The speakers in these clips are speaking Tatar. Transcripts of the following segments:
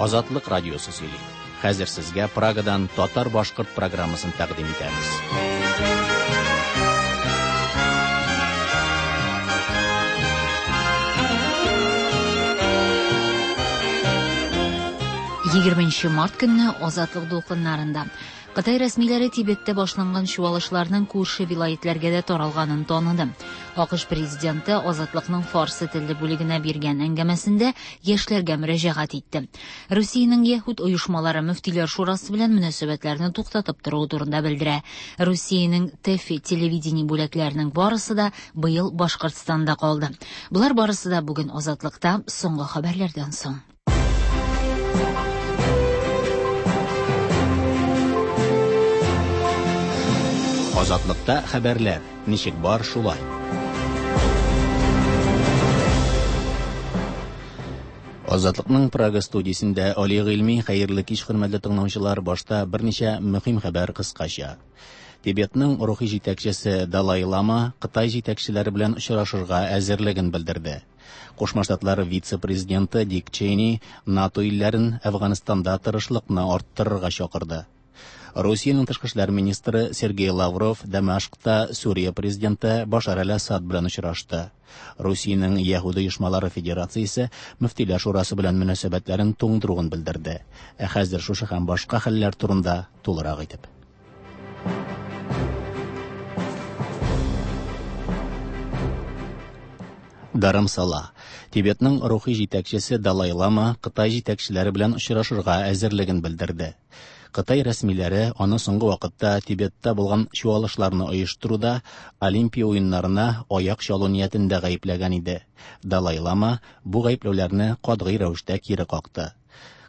Азатлык радиосы сөйли. Хәзер сезгә Прагадан татар-башкорт программасын тәкъдим итәбез. Егерменче март көнне Азатлык дулкыннарында Кытай рәсмиләре Тибеттә башланган чуалышларның күрше вилаетләргә дә таралганын таныды. АКШ президенты Азатлыкның фарсы телле бүлегенә биргән әңгәмәсендә яшьләргә мөрәҗәгать итте. Русиянең яһүд оешмалары Мөфтиләр шурасы белән мөнәсәбәтләрне туктатып торуы турында белдерә. Русиянең ТЭФИ телевидение бүләкләренең барысы да быел Башкортстанда калды. Болар барысы да бүген Азатлыкта соңгы хәбәрләрдән соң. Азатлыкта хәбәрләр ничек бар шулай. Азатлыкның Прага студиясендә Али Гыйльми хәерле кич хөрмәтле тыңлаучылар башта берничә мөһим хәбәр кыскача. Тибетның рухи җитәкчесе Далай Лама Кытай җитәкчеләре белән очрашырга әзерлеген белдерде. Кушма Штатлар вице-президенты Дик Чейни НАТО илләрен Әфганстанда тырышлыкны арттырырга чакырды. Русиянең тышкы эшләр министры Сергей Лавров Дамашкта Сүрия президенты Башар әл-Асад белән очрашты. Русиянең Яһүд оешмалары федерациясе Мөфтиләр шурасы белән мөнәсәбәтләрен туңдыруын белдерде. Ә хәзер шушы һәм башка хәлләр турында тулырак итеп. Дарамсала. Тибетның рухи җитәкчесе Далай Лама Кытай җитәкчеләре белән очрашырга әзерлеген белдерде. Кытай рәсмиләре аны соңгы вакытта Тибетта булган чуалышларны оештыруда Олимпия уеннарына аяк чалу ниятендә гаепләгән иде. Далай Лама бу гаепләүләрне катгый рәвештә кире какты.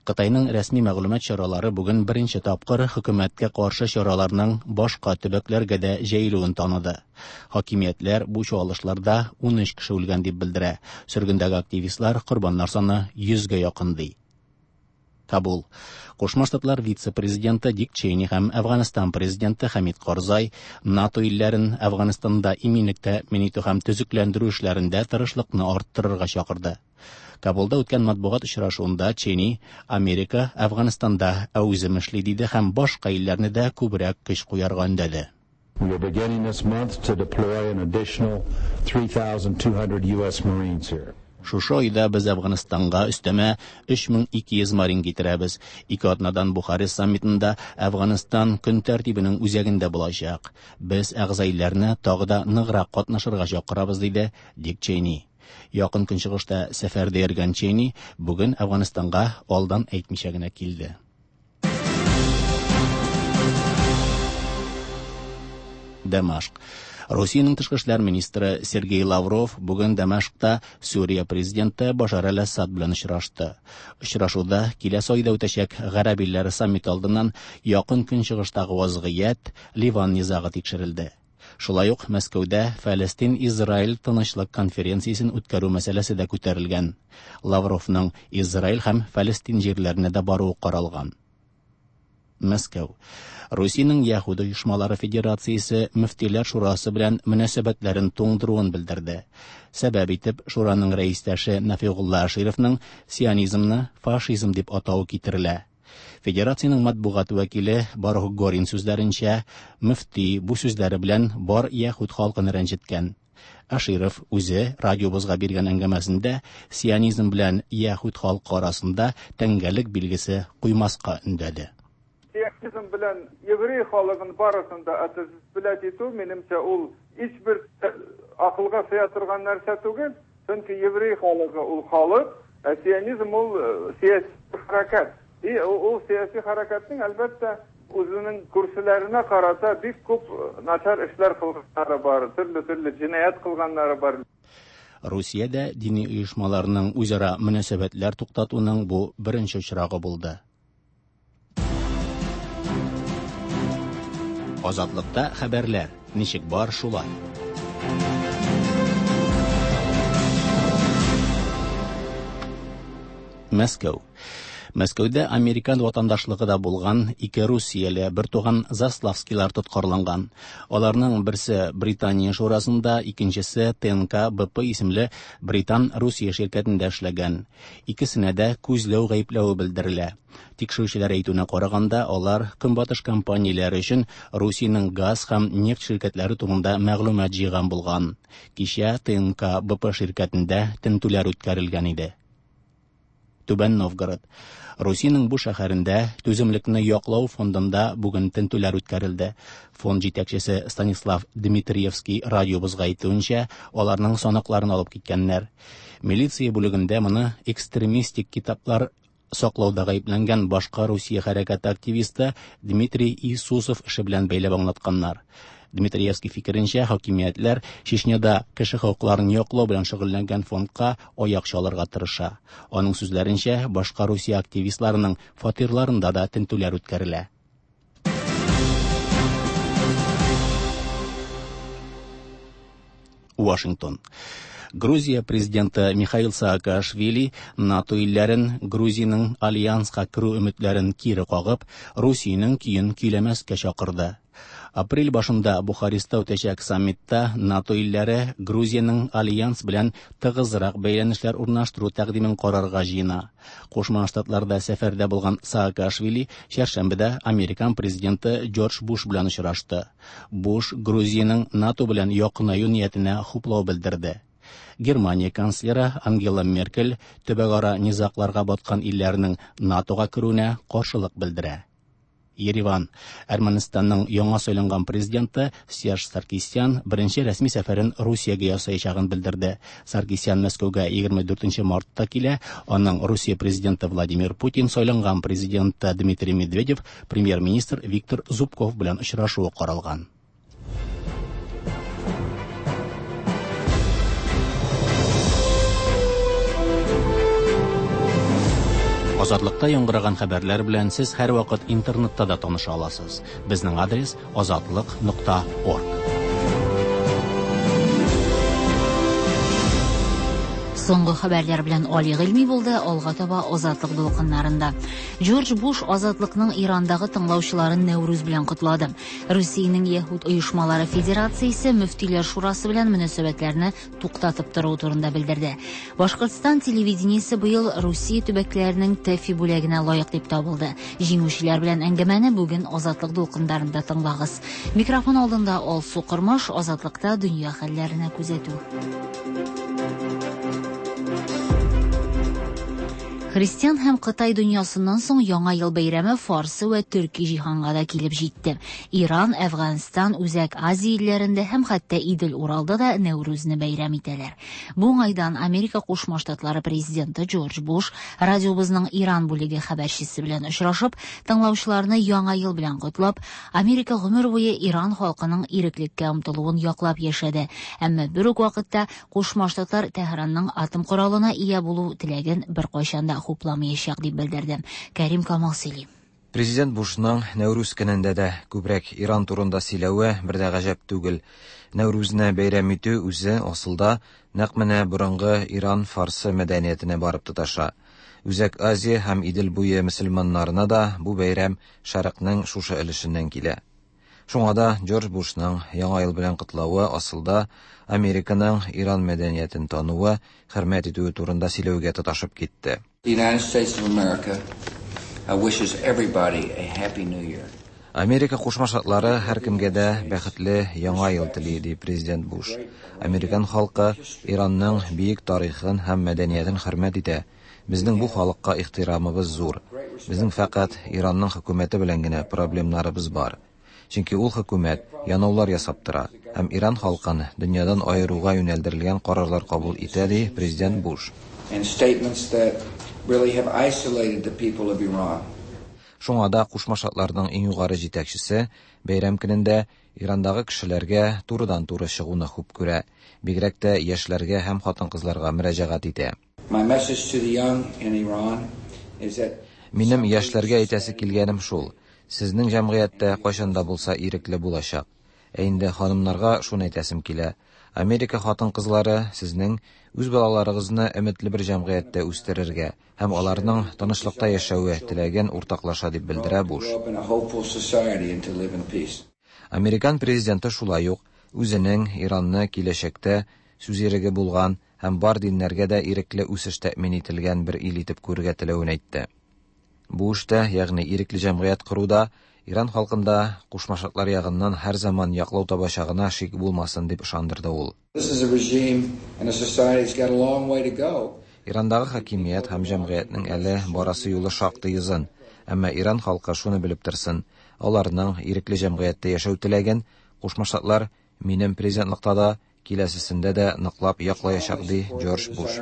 Кытайның рәсми мәгълүмат чаралары бүген беренче тапкыр хөкүмәткә каршы чараларның башка төбәкләргә дә җәелүен таныды. Хакимиятләр бу чуалышларда 13 кеше үлгән дип белдерә. Сөргендәге активистлар корбаннар саны 100гә якын ди. Кабул. Кушма Штатлар вице-президенты Дик Чейни һәм Әфганстан президенты Хәмид Карзай НАТО илләрен Әфганстанда иминлек тәэмин итү һәм төзекләндерү эшләрендә тырышлыкны арттырырга чакырды. Кабулда үткән матбугат очрашуында Чейни Америка Әфганстанда әүзем эшли диде һәм башка илләрне дә күбрәк көч куярга өндәде. We are beginning this month to deploy an additional 3,200 U.S. Marines here. Шушы айда без Әфганстанга өстәмә 3200 марин китерәбез. Ике атнадан Бухарест саммитында Әфганстан көн тәртибенең үзәгендә булачак. Без әгъза илләрне тагы да ныграк катнашырга чакырабыз, диде Дик Чейни. Якын Көнчыгышта сәфәрдә йөргән Чейни бүген Әфганстанга алдан әйтмичә генә килде. Дамашк. Русиянең тышкы эшләр министры Сергей Лавров бүген Дамашкта Сүрия президенты Башар әл-Асад белән очрашты. Очрашуда киләсе айда үтәчәк Гарәп илләре саммиты алдыннан Якын Көнчыгыштагы вазгыять, Ливан низагы тикшерелде. Шулай ук Мәскәүдә Фәлестин-Израиль тынычлык конференциясен үткәрү мәсьәләсе дә күтәрелгән. Лавровның Израиль һәм Фәлестин җирләренә дә баруы каралган. Мәскәү. Русиянең Яһүд оешмалары федерациясе Мөфтиләр шурасы белән мөнәсәбәтләрен туңдыруын белдерде. Сәбәп итеп шураның рәистәше Нафигулла Ашировның сионизмны фашизм дип атавы китерелә. Федерациянең матбугат вәкиле Барух Горин сүзләренчә, мөфти бу сүзләре белән бар яһүд халкын рәнҗеткән. Аширов үзе радиобызга биргән әңгәмәсендә сионизм белән яһүд халкы арасында тәңгәлек билгесе куймаска өндәде. Сионизм белән еврей халыгын барысын да отождествлять итү, минемчә, ул һичбер акылга сыя торган нәрсә түгел, чөнки еврей халыгы ул халык, ә сионизм ул сәяси хәрәкәт. И ул сәяси хәрәкәтнең, әлбәттә, үзенең күршеләренә карата бик күп начар эшләр кылганнары бар, төрле-төрле җинаять кылганнары бар. Русиядә дини оешмаларның үзара мөнәсәбәтләр туктатуның бу беренче очрагы булды. Азатлыкта хәбәрләр ничек бар шулай. Мәскәү. Мәскәүдә американ ватандашлыгы да булган ике русияле бертуган Заславскийлар тоткарланган. Аларның берсе Британия шурасында, икенчесе ТНК БП исемле британ Русия ширкәтендә эшләгән. Икесенә дә күзләү гаепләве белдерелә. Тикшерүчеләр әйтүенә караганда, алар көнбатыш компанияләре өчен Русиянең газ һәм нефть ширкәтләре турында мәгълүмат җыйган булган. Кичә ТНК БП ширкәтендә тентүләр үткәрелгән иде. Түбән Новгород. Русиянең бу шәһәрендә Түземлекне яклау фондында бүген тентүләр үткәрелде. Фонд җитәкчесе Станислав Дмитриевский радиобызга әйтүенчә, аларның санакларын алып киткәннәр. Милиция бүлегендә моны экстремистик китаплар саклауда гаепләнгән башка Русия хәрәкәте активисты Дмитрий Иисусов эше белән бәйләп аңлатканнар. Дмитриевский фикеренчә, хакимиятләр Чечняда кеше хокукларын яклау белән шөгыльләнгән фондка аяк чалырга тырыша. Аның сүзләренчә, башка Русия активистларының фатирларында да тентүләр үткәрелә. Вашингтон. Грузия президенты Михаил Саакашвили НАТО илләрен Грузиянең альянска керү өметләрен кире кагып, Русиянең көен көйләмәскә чакырды. Апрель башында Бухареста үтәчәк саммитта НАТО илләре Грузиянең альянс белән тыгызрак бәйләнешләр урнаштыру тәкъдимен карарга җыена. Кушма Штатларда сәфәрдә булган Саакашвили чәршәмбедә американ президенты Джордж Буш белән очрашты. Буш Грузиянең НАТО белән якынаю ниятенә хуплау белдерде. Германия канцлеры Ангела Меркель төбәкара низагларга баткан илләрнең НАТОга керүенә каршылык белдерә. Ереван. Әрмәнстанның яңа сайланган президенты Серж Саркисян беренче рәсми сәфәрен Русиягә ясаячагын белдерде. Саркисян Мәскәүгә 24 мартта килә. Аның Русия президенты Владимир Путин, сайланган президенты Дмитрий Медведев, премьер-министр Виктор Зубков белән очрашуы каралган. Азатлыкта яңгыраган хәбәрләр белән сез һәрвакыт интернетта да таныша аласыз. Безнең адрес azatliq.org. Соңгы хәбәрләр белән Али Гыйльми булды, алга таба Азатлык дулкыннарында. Джордж Буш Азатлыкның Ирандагы тыңлаучыларын Нәүрүз белән котлады. Русиянең Яһүд оешмалары федерациясе Мөфтиләр шурасы белән мөнәсәбәтләрне туктатып тору турында белдерде. Башкортстан телевидениесе быел Русия төбәкләренең ТЭФИ бүләгенә лаек дип табылды. Җиңүчеләр белән әңгәмәне бүген Азатлык дулкыннарында тыңлагыз. Микрофон алдында Алсу Кормаш, Азатлыкта дөнья хәлләренә күзәтү. Христиан һәм Кытай дөньясыннан соң Яңа ел бәйрәме Фарсы вә Төрки җиһанга да килеп җитте. Иран, Әфганстан, Үзәк Азия илләрендә һәм хәтта Идел-Уралда да Нәүрүзне бәйрәм итәләр. Бу уңайдан Америка Кушма Штатлары президенты Джордж Буш радиобызның Иран бүлеге хәбәрчесе белән очрашып, тыңлаучыларны Яңа ел белән котлап, Америка гомер буе Иран халкының иреклеккә омтылуын яклап яшәде. Әмма бер үк вакытта Кушма Штатлар Тәһранның атом коралына ия булу теләген беркайчан да хупламаячак дип белдерде. Кәрим Камал сөйли. Президент Бушның Нәүрүз көнендә дә күбрәк Иран турында сөйләве бер дә гаҗәп түгел. Нәүрүзне бәйрәм итү үзе асылда нәкъ менә борынгы Иран фарсы мәдәниятенә барып тоташа. Үзәк Азия һәм Идел буе мөселманнарына да бу бәйрәм Шәрыкның шушы өлешеннән килә. Шуңа да Джордж Бушның Яңа ел белән котлавы асылда Американың Иран мәдәниятен тануы, хөрмәт итүе турында сөйләүгә тоташып китте. The United States of America wishes everybody a happy new year. Америка Кушма Штатлары һәркемгә дә бәхетле Яңа ел тели, ди президент Буш. Американ халкы Иранның бөек тарихын һәм мәдәниятен хөрмәт итә. Безнең бу халыкка ихтирамыбыз зур. Безнең фәкать Иранның хөкүмәте белән генә проблемнарыбыз бар. Чөнки ул хөкүмәт янаулар ясап тора һәм Иран халкын дөньядан аеруга юнәлдерелгән карарлар кабул итә, ди президент Буш. And statements that really have isolated the people of Iran. Шуңа да Кушма Штатларның иң югары җитәкчесе бәйрәм көнендә Ирандагы кешеләргә турыдан-туры чыгуны хуп күрә, бигрәк тә яшьләргә һәм хатын-кызларга мөрәҗәгать итә. My message to the young in Iran is that Минем яшьләргә әйтәсе килгәнем шул: сезнең җәмгыятьтә кайчан да булса ирекле булачак. Ә инде ханымнарга шуны әйтәсем килә: Америка хатын-кызлары сезнең үз балаларыгызны өметле бер җәмгыятьтә үстерергә һәм аларның тынычлыкта яшәве теләген уртаклаша, дип белдерә Буш. Американ президенты шулай ук үзенең Иранны киләчәктә сүз иреге булган һәм бар диннәргә дә ирекле үсеш тәэмин ителгән бер ил итеп күрергә теләвен әйтте. Бу эштә, ягъни ирекле җәмгыять коруда Иран халкында Кушма Штатлар ягыннан һәрзаман яклау табачагына шик булмасын, дип ышандырды ул. Ирандагы хакимият һәм җәмгыятьнең әле барасы юлы шактый озын, әмма Иран халкы шуны белеп торсын, аларның ирекле җәмгыятьтә яшәү теләген Кушма Штатлар минем президентлыкта да, киләсесендә дә ныклап яклаячак, ди Джордж Буш.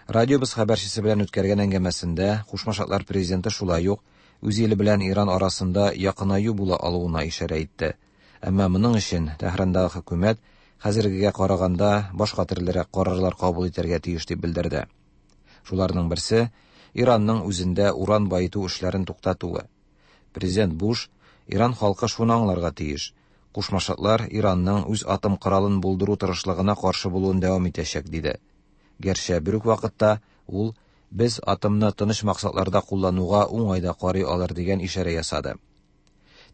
Радиобыз хәбәрчесе белән үткәргән әңгәмәсендә Кушма Штатлар президенты шулай ук үз иле белән Иран арасында якынаю була алуына ишарә итте. Әмма моның өчен Тәһрандагы хөкүмәт хәзергегә караганда башка төрлерәк карарлар кабул итәргә тиеш дип белдерде. Шуларның берсе Иранның үзендә уран баету эшләрен туктатуы. Президент Буш Иран халкы шуны аңларга тиеш. Кушма Штатлар Иранның үз атом коралын булдыру тырышлыгына каршы булуын дәвам итәчәк, диде. Гәрчә бер үк вакытта ул без атомны тыныч максатларда куллануга уңай да карый алыр дигән ишарә ясады.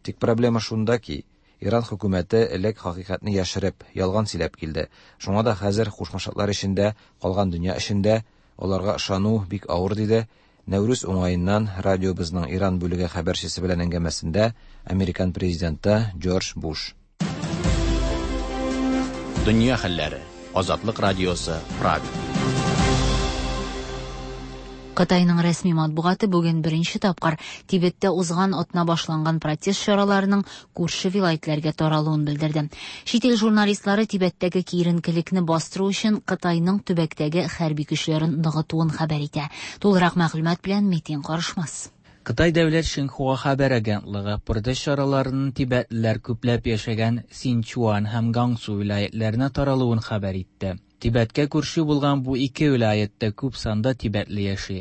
Тик проблема шунда ки, Иран хөкүмәте элек хакыйкатьне яшереп, ялган сөйләп килде. Шуңа да хәзер Кушма Штатлар эчендә, калган дөнья эчендә аларга ышану бик авыр, диде Нәүрүз уңаеннан радиобызның Иран бүлеге хәбәрчесе белән әңгәмәсендә Американ президенты Джордж Буш. Дөнья хәлләре. Азатлык радиосы, Прага. Кытайның рәсми матбугаты бүген беренче тапкыр Тибеттә узган атна башланган протест чараларының күрше вилаетләргә таралуын белдерде. Чит ил журналистлары Тибеттәге киеренкелекне бастыру өчен Кытайның төбәктәге хәрби көчләрен ныгытуын хәбәр итә. Тулырак мәгълүмат белән Метин Карышмас. Кытай дәүләт Шинхуа хәбәр агентлыгы протест чараларының тибетлеләр күпләп яшәгән Синчуан һәм Гансу вилаетләренә таралуын хәбәр итте. Тибеткә күрше булган бу ике вилаятта күп санда тибетле яши.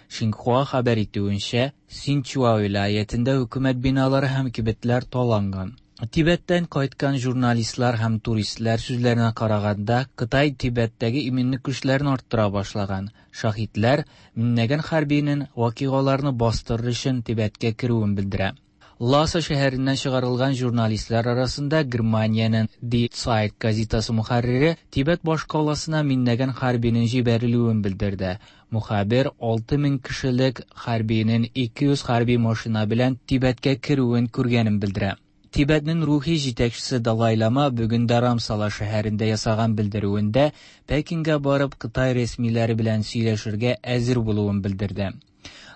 Шинхуа хәбәр итүенчә, Синчуа вилаятендә хөкүмәт биналары һәм кибетләр таланган. Тибеттән кайткан журналистлар һәм туристлар сүзләренә караганда, Кытай Тибеттәге иминлек көчләрен арттыра башлаган. Шаһитләр меңләгән хәрбинең вакыйгаларны бастырыр өчен Тибеткә керүен белдерә. Ласа шәһәреннән чыгарылган журналистлар арасында Германиянең Die Zeit газетасы мөхәррире Тибет башкаласына меңләгән хәрбинең җибәрелүен белдерде. Мөхәррир 6000 кешелек хәрбинең 200 хәрби машина белән Тибеткә керүен күргәнен белдерә. Тибетнең рухи җитәкчесе Далай Лама бүген Дарамсала шәһәрендә ясаган белдерүендә Пекинга барып Кытай рәсмиләре белән сөйләшергә әзер булуын белдерде.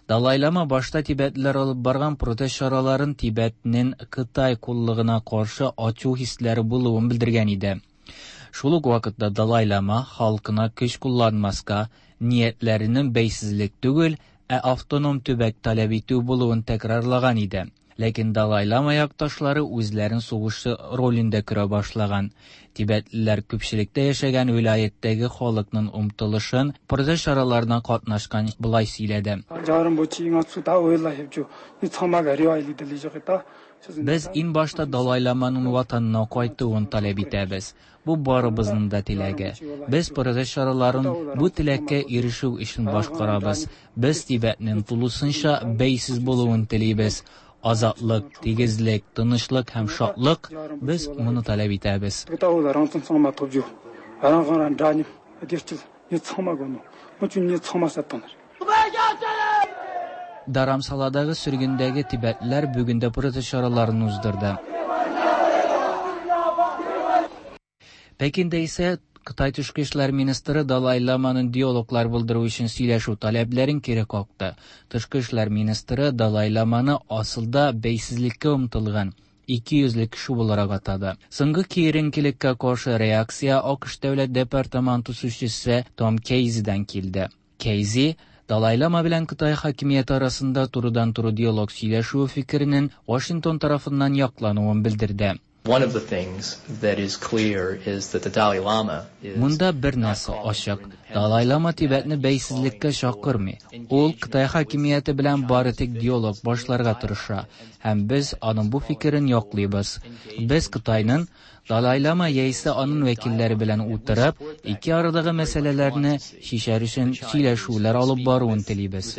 Далай Лама башта тибетлеләр алып барган протест чараларын Тибетнең Кытай куллыгына каршы ачу хисләре булуын белдергән иде. Шул ук вакытта Далай Лама халкына көч кулланмаска, ниятләренең бәйсезлек түгел, ә автоном төбәк таләп итү булуын тәкрарлаган иде. Ләкин Далай Лама якташлары үзләрен сугышчы ролендә күрә башлаган. Тибетлеләр күпчелектә яшәгән вилаяттәге халыкның омтылышын протест чараларына катнашкан болай сөйләде. Без иң башта Далай Ламаның ватанына кайтуын таләп итәбез. Бу барыбызның да теләге. Без протест чараларын бу теләккә ирешү өчен башкарабыз. Без Тибетнең тулысынча бәйсез булуын телибез. Азатлык, тигезлек, тынычлык һәм шатлык без моны таләп итәбез. Дарамсаладагы сөргендәге тибетләр бүген дә протест чараларын уздырды. Пекинда исә Кытай тышкы эшләр министры Далай Ламаның диалоглар булдыру өчен сөйләшү таләпләрен кире какты. Тышкы эшләр министры Далай Ламаны асылда бәйсезлеккә омтылган 200 кеше буларак атады. Соңгы киеренкелеккә каршы реакция АКШ дәүләт департаменты сүзчесе Том Кейзидан килде. Кейзи Далай Лама белән Кытай хакимияте арасында турыдан-туры диалог сөйләшү фикеренең Вашингтон тарафыннан яклануын белдерде. One of the things that is clear is that the Dalai Lama is Монда бер нәрсә ачык. Далай Лама Тибетне бәйсезлеккә чакырмый. Ул Кытай хакимияте белән бары тик диалог башларга тырыша, һәм без аның бу фикерен яклыйбыз. Без Кытайның Далай-лама яисә аның вәкилләре белән утырып, ике арадагы мәсьәләләрне чишәр өчен сөйләшүләр алып баруын телибез.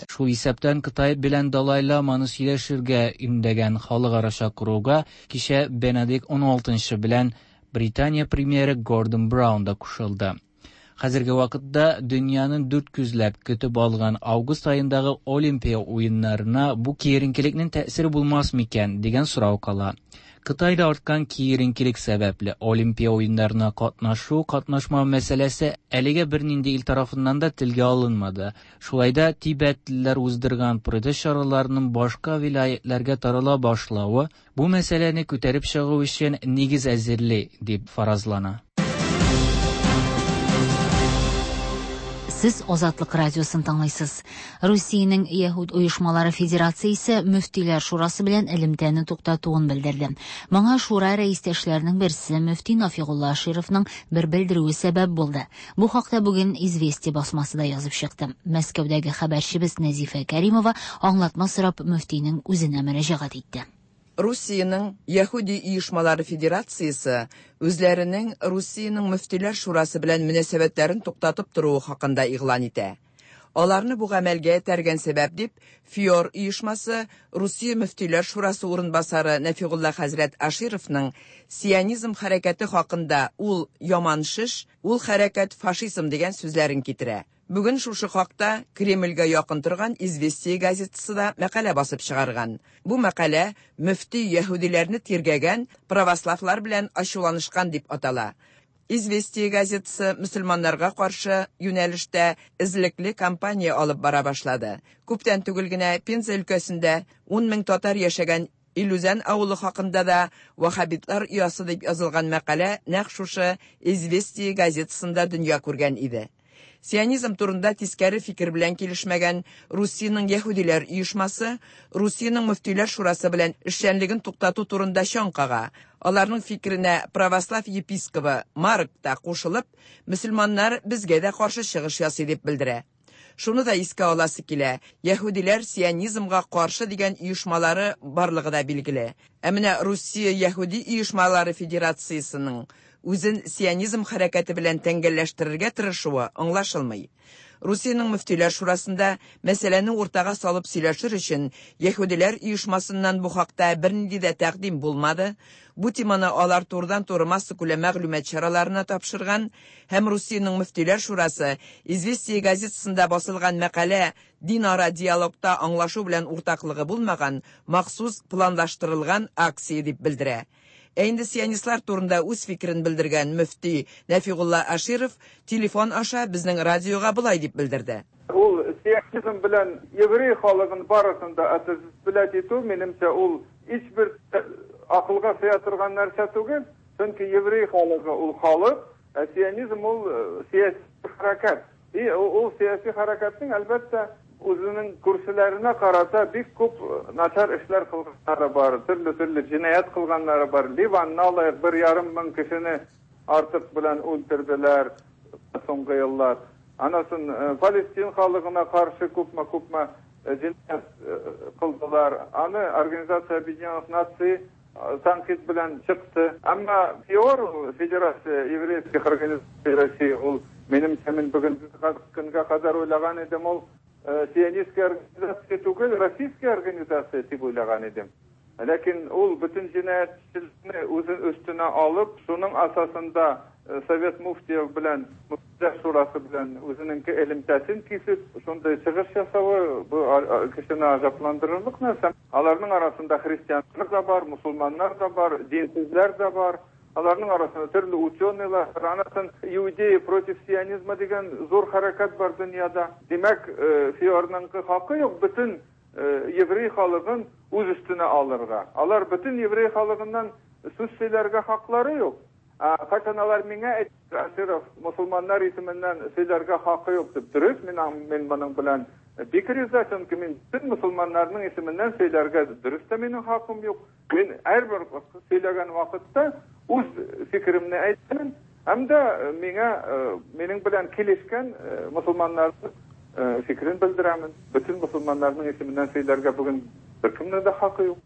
Шул исәптән Кытай белән Далай-ламаны сөйләшергә өндәгән халыкара чакыруга кичә Бенедикт XVI белән Британия премьеры Гордон Браун да кушылды. Хәзерге вакытта дөньяның дүрт күзләп көтеп алган август аендагы Олимпия уеннарына бу киеренкелекнең тәэсире булмас микән дигән сорау кала. Кытайда арткан киеренкелек сәбәпле Олимпия уеннарына катнашу, катнашмау мәсьәләсе әлегә бернинди ил тарафыннан да телгә алынмады. Шулай да тибәтлеләр уздырган протест чараларының башка вилаятьләргә тарала башлавы бу мәсьәләне күтәреп чыгу өчен нигез әзерли дип фаразлана. Сез Азатлык радиосын тыңлыйсыз. Русиянең Яһүд оешмалары федерациясе мөфтиләр шурасы белән элемтәне туктатуын белдерде. Моңа шура рәистәшләренең берсе мөфти Нафигулла Ашировның бер белдерүе сәбәп булды. Бу хакта бүген Известия басмасы да язып чыкты. Мәскәүдәге хәбәрчебез Нәзифә Кәримова аңлатма сорап мөфтинең үзенә мөрәҗәгать итте. Русиянең Яһүди оешмалары федерациясе үзләренең Русиянең мөфтиләр шурасы белән мөнәсәбәтләрен туктатып торуы хакында игълан итә. Аларны бу гамәлгә этәргән сәбәп дип ФИОР оешмасы Русия мөфтиләр шурасы урынбасары Нәфигулла хәзрәт Ашировның сионизм хәрәкәте хакында ул яман шеш, ул хәрәкәт фашизм дигән сүзләрен китерә. Бүген шушы хакта Кремльгә якын торган Известия газетасы да мәкалә басып чыгарган. Бу мәкалә мөфти яһүдиләрне тиргәгән православлар белән ачуланышкан дип атала. Известия газетасы мөселманнарга каршы юнәлештә эзлекле кампания алып бара башлады. Күптән түгел генә Пенза өлкәсендә 10 мең татар яшәгән Илүзән авылы хакында да ваххабитлар оясы дип язылган мәкалә нәкъ шушы Известия газетасында дөнья күргән иде. Сионизм турында тискәре фикер белән килешмәгән Русиянең Яһүдиләр оешмасы Русиянең мөфтиләр шурасы белән эшчәнлеген туктату турында чаң кага. Аларның фикеренә православ епискобы Марк та кушылып, мөселманнар безгә дә каршы чыгыш ясый дип белдерә. Шуны да искә аласы килә, яһүдиләр сионизмга каршы дигән оешмалары барлыгы да билгеле. Ә менә Русия Яһүди оешмалары федерациясенең үзен сионизм хәрәкәте белән тәңгәлләштерергә тырышуы аңлашылмый. Русиянең мөфтиләр шурасында мәсьәләне уртага салып сөйләшер өчен яһүдиләр оешмасыннан бу хакта бернинди дә тәкъдим булмады. Бу теманы алар турыдан-туры массакүләм мәгълүмат чараларына тапшырган һәм Русиянең мөфтиләр шурасы Известия газетасында басылган мәкалә динара диалогта аңлашу белән уртаклыгы булмаган махсус планлаштырылган акция дип белдерә. Ә инде сионистлар турында үз фикерен белдергән мөфти Нәфигулла Аширов телефон аша безнең радиога болай дип белдерде. Ул сионизм белән еврей халыгын барысын да отождествлять итү, минемчә, ул һичбер акылга сыя торган нәрсә түгел, чөнки еврей халыгы ул халык, ә сионизм ул сәяси хәрәкәт. И ул сәяси хәрәкәтнең әлбәттә үзенең күршеләренә карата бик күп начар эшләр кылганнары бар, төрле-төрле җинаять кылганнары бар. Ливанны алыйк, 1,5 мең кешене артык белән үтерделәр соңгы еллар. Анасын Палестин халыгына каршы күпме-күпме җинаять кылдылар. Аны Организация Объединенных Наций тәнкыйть белән чыкты. Әмма ФИОР, Федерация еврейских организаций России, ул минемчә, мин бүгенге көнгә кадәр уйлаган идем, ул сионистская организация түгел, российская организация дип уйлаган идем. Ләкин ул бөтен җинаятьчелекне үзен өстенә алып, шуның асасында Совет муфтиев белән, Мөфтиләр шурасы белән үзенең элемтәсен кисеп, шундый чыгыш ясавы бу кешене гаҗәпләндерерлек нәрсә. Аларның арасында христианнар да бар, мусульманнар да бар, динсезләр дә бар. Аларның арасында төрле ученыйлар, анасын иудеи против сионизма дигән зур хәрәкәт бар дөньяда. Димәк, ФИОРның хакы юк бөтен еврей халыгын үз өстенә алырга. Алар бөтен еврей халыгыннан сүз сөйләргә хаклары юк. Кайчан алар миңа әйтте, Аширов мусульманнар исеменнән сөйләргә хакы юк дип, дөрес, мин моның белән бик риза, чөнки мин бөтен мусульманнарның исеменнән сөйләргә дөрес тә минем хакым юк. Мин һәрбер сөйләгән вакытта үз фикеремне әйтәм, һәм дә миңа минем белән килешкән мусульманнарның фикерен белдерәмен. Бөтен мусульманнарның исеменнән сөйләргә бүген Беркемнең дә хакы юк.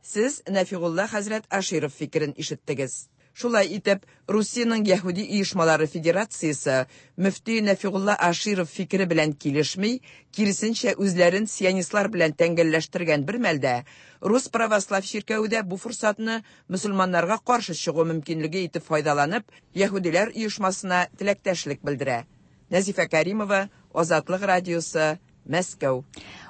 Сез Нәфигулла хәзрәт Аширов фикерен ишеттегез. Шулай итеп, Русиянең Яһүди оешмалары федерациясе мөфти Нәфигулла Аширов фикере белән килешми, киресенчә үзләрен сионистлар белән тәңгәлләштергән бер мәлдә, Рус православ чиркәве дә бу форсатны мөселманнарга каршы чыгу мөмкинлеге итеп файдаланып, яһүдиләр оешмасына теләктәшлек белдерә. Нәзифә Кәримова, Азатлык радиосы, Мәскәү.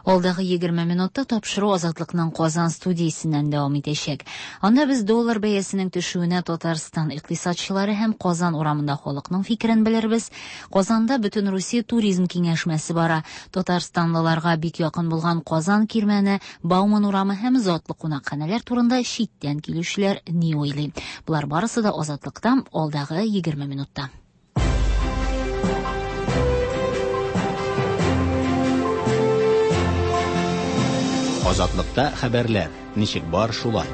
Алдагы 20 минутта тапшыру Азатлыкның Казан студиясеннән дәвам итәчәк. Анда без доллар бәясенең төшүенә Татарстан икътисадчылары һәм Казан урамында халыкның фикерен белербез. Казанда Бөтен Русия туризм киңәшмәсе бара. Татарстанлыларга бик якын булган Казан кирмәне, Бауман урамы һәм затлы кунакханәләр турында читтән килүчеләр ни уйлый? Болар барысы да Азатлыкта алдагы 20 минутта. Азатлыкта хәбәрләр. Ничек бар шулай.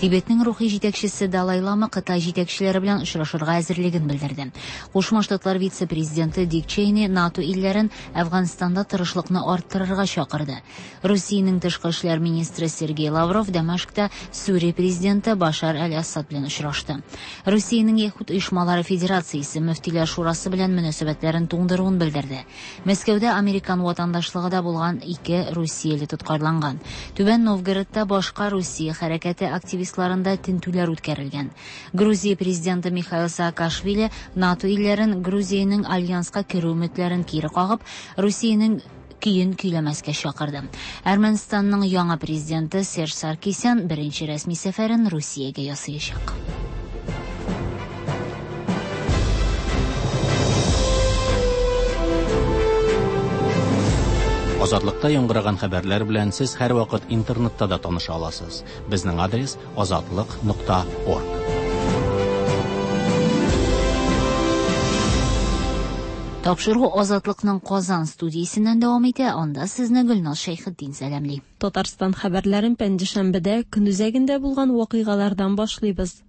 Тибетнең рухи җитәкчесе Далай Лама Кытай җитәкчеләре белән очрашырга әзерлеген белдерде. Кушма Штатлар вице-президенты Дик Чейни НАТО илләрен Әфганстанда тырышлыкны арттырырга чакырды. Русиянең тышкы эшләр министры Сергей Лавров Дамашкта Сүрия президенты Башар әл-Ассад белән очрашты. Русиянең Яһүд оешмалары федерациясе мөфтиләр шурасы белән мөнәсәбәтләрен туңдыруын белдерде. Мәскәүдә американ ватандашлыгы да булган ике русияле тоткарланган. Түбән Новгородта башка Русия хәрәкәте активистларында тентүләр үткәрелгән. Грузия президенты Михаил Саакашвили НАТО илләрен Грузиянең альянска керү өметләрен кире кагып, Русиянең көен көйләмәскә чакырды. Әрмәнстанның яңа президенты Серж Саркисян беренче рәсми сәфәрен Русиягә ясаячак. Азатлыкта яңгыраган хәбәрләр белән сез һәрвакыт интернетта да таныша аласыз. Безнең адрес azatliq.org. Тапшыру Азатлыкның Казан студиясеннән дәвам итә. Анда сезне Гөлназ Шәйхетдин сәламли. Татарстан хәбәрләрен пәнҗешәмбедә көнүзәгендә булган вакыйгалардан башлыйбыз.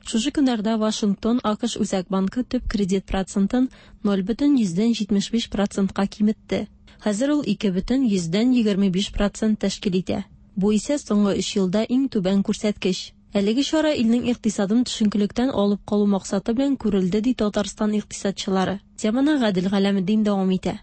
Шушы көннәрдә Вашингтон АКШ Үзәк банкы төп кредит процентын 0,75 процентка киметте. Хәзер ул 2,25 процент тәшкил итә. Бу исә соңгы 3 елда иң түбән күрсәткеч. Әлеге чара илнең икътисадын төшенкелектән алып калу максаты белән күрелде, ди Татарстан икътисадчылары. Теманы Гадел Галәметдин дәвам итә.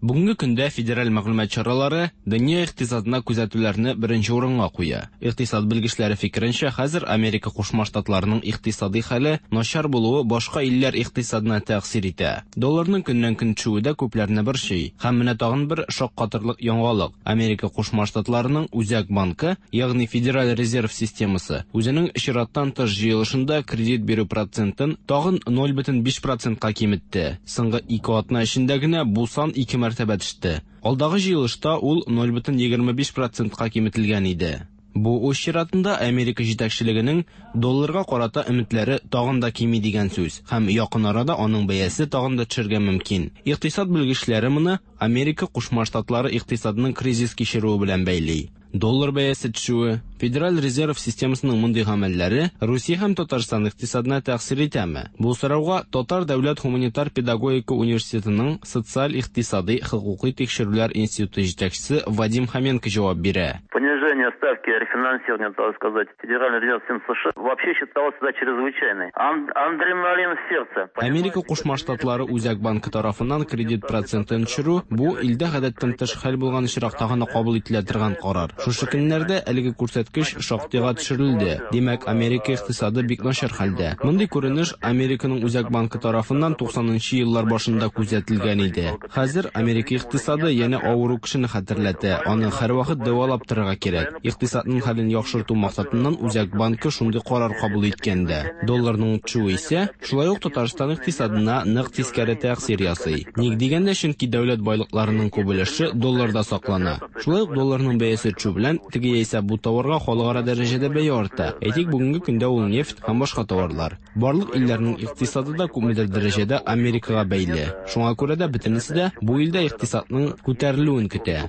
Бүгенге көндә федераль мәгълүмат чаралары дөнья икътисадына күзәтүләрне беренче урынга куя. Икътисад белгечләре фикеренчә, хәзер Америка Кушма Штатларының икътисади хәле начар булуы башка илләр икътисадына тәэсир итә. Долларның көннән-көн төшүе дә күпләрне борчый. Һәм менә тагын бер шаккатырлык яңалык. Америка Кушма Штатларының Үзәк банкы, ягъни Федераль резерв системасы, үзенең чираттан тыш җыелышында кредит бирү процентын тагын 0,5 процентка киметте. Соңгы 2 атна эчендә генә бу сан 2 мәртәбә төште. Алдагы җыелышта ул 0,25 процентка киметелгән иде. Бу үз чиратында Америка җитәкчелегенең долларга карата өметләре тагын да кими дигән сүз һәм якын арада аның бәясе тагын да төшергә мөмкин. Икътисад белгечләре моны Америка Кушма Штатлары икътисадының кризис кичерүе белән бәйли. Доллар бәясе төшүе, Федераль резерв системасының мондый гамәлләре Русия һәм Татарстан икътисадына тәэсир итәме? Бу сорауга Татар дәүләт гуманитар педагогика университетының социаль-икътисади хокукый тикшерүләр институты җитәкчесе Вадим Хоменко җавап бирә. Понижение ставки рефинансирования, так сказать, Федеральный резерв США вообще считалось всегда чрезвычайной. Адреналин в сердце. Америка Кушма Штатлары Үзәк банкы тарафыннан кредит процентын төшерү бу илдә гадәттән тыш хәл булган очракта гына кабул ителә торган карар. Шушы көннәрдә әлеге күрсәткеч шактыйга төшерелде. Димәк, Америка икътисады бик начар хәлдә. Мондый күренеш Американың Үзәк банкы тарафыннан 90нчы еллар башында күзәтелгән иде. Хәзер Америка икътисады янә авыру кешене хәтерләтә. Аны һәрвакыт дәвалап торырга кирәк. Икътисадның хәлен яхшырту максатыннан Үзәк банкы шундый карар кабул иткән дә. Долларның төшүе исә шулай ук Татарстан икътисадына нык тискәре тәэсир ясый. Ник дигәндә, чөнки дәүләт байлыкларының күп өлеше долларда саклана. Шулай ук долларның бәясе төшү белән теге яисә бу товарга халыкара дәрәҗәдә бәя арта. Әйтик, бүгенге көндә ул нефть һәм башка товарлар. Барлык илләрнең икътисады да күпмедер дәрәҗәдә Америкага бәйле. Шуңа күрә дә бөтенесе дә бу илдә икътисадның күтәрелүен көтә.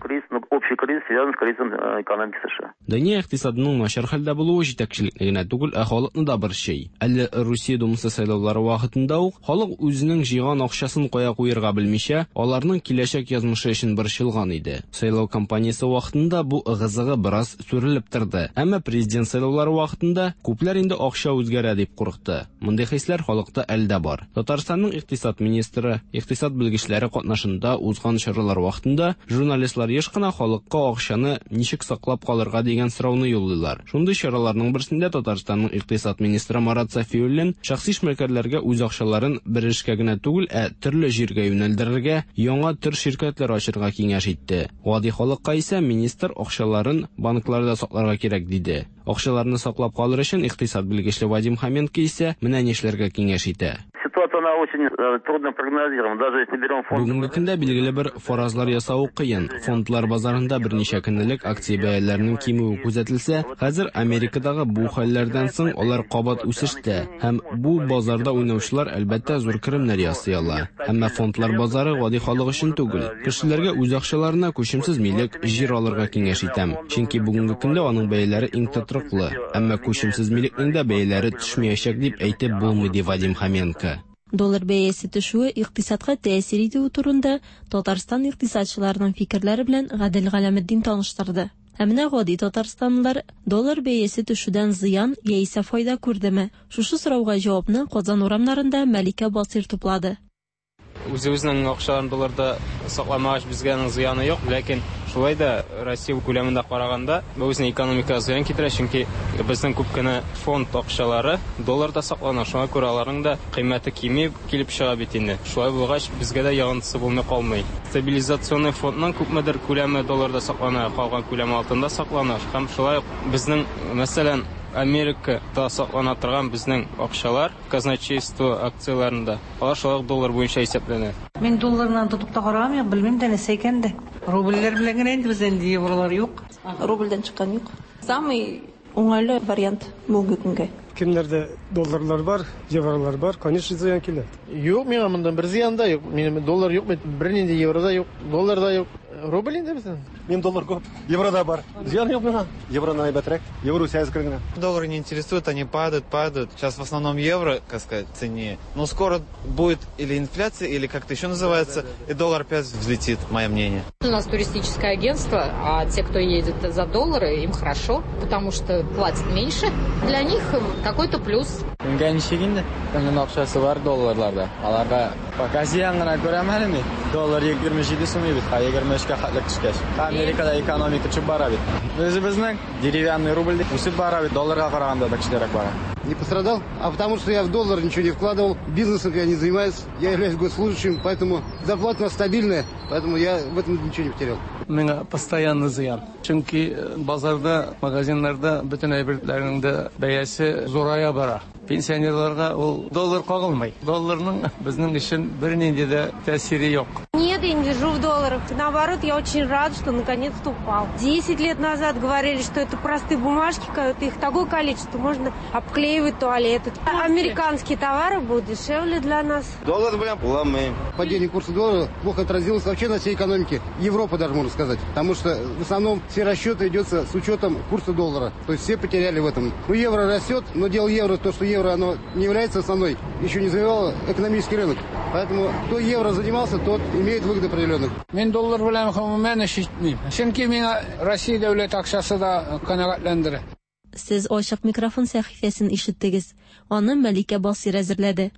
Общий кризис кризис связан с кризисом экономики США. Дөнья икътисадының начар хәлдә булуы җитәкчелекне генә түгел, ә халыкны да борчый. Әле Русия Думасы сайлаулары вакытында ук халык үзенең җыйган акчасын кая куярга белмичә, аларның киләчәк язмышы өчен борчылган иде. Сайлау кампаниясе вакытында бу ыгы-зыгы бераз сүрелеп торды. Әмма президент сайлаулары вакытында күпләр инде акча үзгәрә дип курыкты. Мондый хисләр халыкта әле дә бар. Татарстанның икътисад министры, икътисад белгечләре катнашында узган чаралар вакытында журналистлар еш кына халыкка акчаны ничек саклап калырга дигән сорауны юллыйлар. Шундый чараларның берсендә Татарстанның икътисад министры Марат Сафиуллин шәхси эшмәкәрләргә үз акчаларын бер эшкә генә түгел, ә төрле җиргә юнәлдерергә, яңа төр ширкәтләр ачырга киңәш итте. Гади халыкка исә министр акчаларын банкларда сакларга кирәк диде. Акчаларны саклап калыр өчен икътисад белгечле Вадим Хоменко исә менә нишләргә киңәш итә. Ситуация она очень трудно прогнозируема. Даже если берем фонд... Бүгенге көндә билгеле бер фаразлар ясау кыен. Фондлар базарында берничә көн элек акция бәяләренең кимүе күзәтелсә, хәзер Америкадагы бу хәлләрдән соң алар кабат үсештә һәм бу базарда уйнаучылар әлбәттә зур керемнәр ясый ала. Әмма фондлар базары гади халык өчен түгел. Кешеләргә үз акчаларына күчемсез милек, җир алырга киңәш итәм. Чөнки бүгенге көндә аның бәяләре иң тотрыклы. Әмма күчемсез милекнең дә бәяләре төшмәячәк дип әйтеп булмый, ди Вадим Хоменко. Доллар бәясе төшүе икътисадка тәэсир итүе турында Татарстан икътисадчыларының фикерләре белән Гадел Галәметдин таныштырды. Ә менә гади татарстанлылар доллар бәясе төшүдән зыян яисә файда күрдеме? Шушы сорауга җавапны Казан урамнарында Мәликә Басыйр туплады. Үзебезнең акчаларын долларда сакламагач, безгә аның зыяны юк, ләкин шулай да Россия күләмендә караганда, бу безнең экономикага зыян китерә, чөнки безнең күп кенә фонд акчалары долларда саклана, шуңа күрә аларның да кыйммәте кими килеп чыга бит инде. Шулай булгач, безгә дә йогынтысы булмый калмый. Стабилизационный фондның күпмедер күләме долларда саклана, калган күләме алтында саклана. Һәм шулай ук безнең, мәсәлән, Америкада саклана торган безнең акчалар казначейство акцияләрендә, алар шулай ук доллар буенча исәпләнә. Мин долларны тотып та караган юк, белмим дә нәрсә икән дә. Рубльләр белән генә инде бездә инде евролар юк. Рубльдән чыккан юк. Самый уңайлы вариант бүгенге көнгә. Кемнәрдә долларлар бар, евролар бар, конечно, зыян килә. Юк, миңа моннан бер зыян да юк. Минем доллар юк, бернинди евро да юк, доллар да юк. Рубль инде безнең. Минем доллар күп, евро да бар. Зыян юк миңа. Евроны әйбәтрәк. Евро үсә әзрәк генә. Доллары не интересуют, они падают, падают. Сейчас в основном евро, как сказать, цене. Но скоро будет или инфляция, или как-то еще называется, и доллар опять взлетит, мое мнение. У нас туристическое агентство, а те, кто едет за доллары, им хорошо, потому что платят меньше. Для них какой-то плюс. Кемгә ничек инде? Кемнең акчасы бар долларларда? Аларга пока зыян гына күрәм әле мин. Доллар 27 сум бит, ә 23-кә хәтле төшкәч. Америкада экономика төшеп бара бит. Үзебезнең деревянный рубль үсеп бара бит, долларга караганда да көчлерәк бара. Не пострадал, а потому что я в доллар ничего не вкладывал, бизнесом я не занимаюсь, я являюсь госслужащим, поэтому зарплата у нас стабильная, поэтому я в этом ничего не потерял. Миңа постоянно зыян. Чөнки базарда, магазиннарда бөтен әйберләрнең дә бәясе зурая бара. Пенсионерларга ул доллар кагылмый. Долларның безнең өчен бернинди дә тәэсире юк. Нет, я не держу в долларах. Наоборот, я очень рад, что наконец-то упал. 10 лет назад говорили, что это простые бумажки, когда их такое количество, можно обклеивать туалеты. Американские товары будут дешевле для нас. Доллар белән кулланмыйм. Падение курса доллара плохо отразилось вообще на всей экономике. Европы даже, можно сказать. Потому что в основном все расчеты идутся с учетом курса доллара. То есть все потеряли в этом. Ну, евро растет, но дело евро, то, что евро, оно не является основной, еще не завоевало экономический рынок. Поэтому кто евро занимался, тот имеет выгоды определенных. Мин доллар белән гомумән эш итмим. Чөнки миңа Россия дәүләт акчасы да канәгатьләндерә. Сез ачык микрофон сәхифәсен ишеттегез. Аны Мәликә Басыйр әзерләде.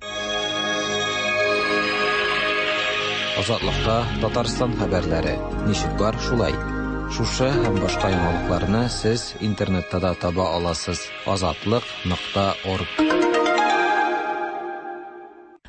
Азатлыкта Татарстан хәбәрләре. Ничек бар, шулай. Шушы һәм башка яңалыкларны сез интернетта да таба аласыз. Азатлык.орг.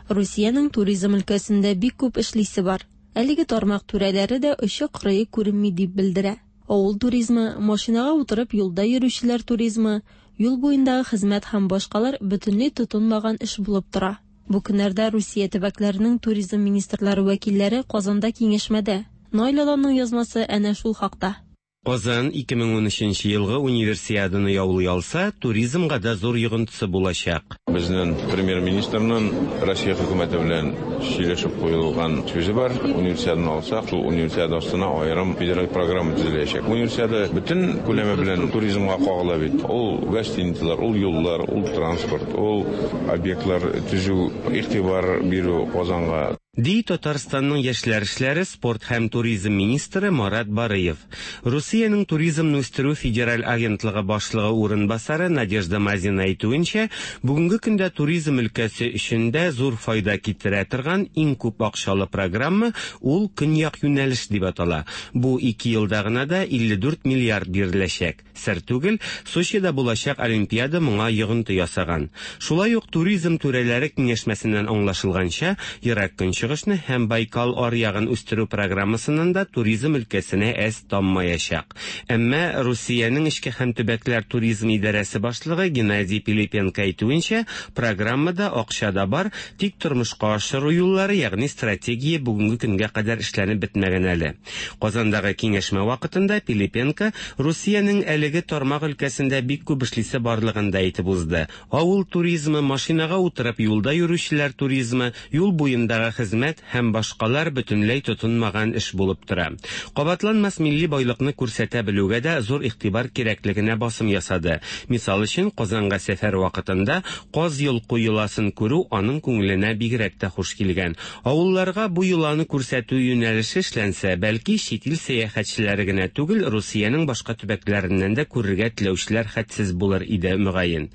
Русиянең туризм өлкәсендә бик күп эшлисе бар. Әлеге тармак түрәләре дә очы-кырые күренми дип белдерә. Авыл туризмы, машинага утырып юлда йөрүчеләр туризмы, юл буендагы хезмәт һәм башкалар бөтенләй тотынмаган эш булып тора. Бу көннәрдә Русия төбәкләренең туризм министрлары вәкилләре Казанда киңәшмәдә. Наил Аланның язмасы әнә шул хакта. Казан 2013 нче елгы Универсиаданы яулый алса, туризмга да зур йогынтысы булачак. Безнең Премьер-министрның Россия хөкүмәте белән сөйләшеп куелган сүзе бар, Универсиаданы алсак, шул Универсиада астына аерым федераль программа төзеләчәк. Универсиада бөтен күләме белән туризмга кагыла бит. Ул гостиницалар, ул юллар, ул транспорт, ул объектлар төзү, игътибар бирү Казанга. Ди Татарстанның яшьләр эшләре, спорт һәм туризм министры Марат Барыев. Русиянең Туризмны үстерү федераль агентлыгы башлыгы урынбасары Надежда Мазина әйтүенчә, бүгенге көндә туризм өлкәсе өчен дә зур файда китерә торган иң күп акчалы программа ул Көньяк юнәлеш дип атала. Бу ике елда гына да 54 миллиард биреләчәк. Сер түгел, Сочида булачак Олимпиада моңа йогынты ясаган. Шулай ук туризм түрәләре киңәшмәсеннән аңлашылганча, Ерак Көнчыгышны һәм Байкал аръягын үстерү программасыннан да туризм өлкәсенә әз таммаячак. Әмма Русиянең эчке һәм төбәкләр туризм идарәсе башлыгы Геннадий Пилипенко әйтүенчә, программада акча да бар, тик тормышка ашыру юллары, ягъни стратегия бүгенге көнгә кадәр эшләнеп бетмәгән әле. Казандагы киңәшмә вакытында Пилипенко Русиянең әлеге тармак өлкәсендә бик күп эшлисе барлыгын да әйтеп узды. Авыл туризмы, машинага утырып юлда йөрүчеләр туризмы, юл буендагы хезмәт һәм башкалар бөтенләй тотынмаган эш булып тора. Кабатланмас милли байлыкны күрсәтә белүгә дә зур игътибар кирәклегенә басым ясады. Мисал өчен, Казанга сәфәр вакытында каз йолку йоласын күрү аның күңеленә бигрәк тә хуш килгән. Авылларга бу йоланы күрсәтү юнәлеше эшләнсә, бәлки, чит ил сәяхәтчеләре генә түгел, Русиянең башка төбәкләреннән дә күрергә теләүчеләр хәтсез булыр иде, мөгаен.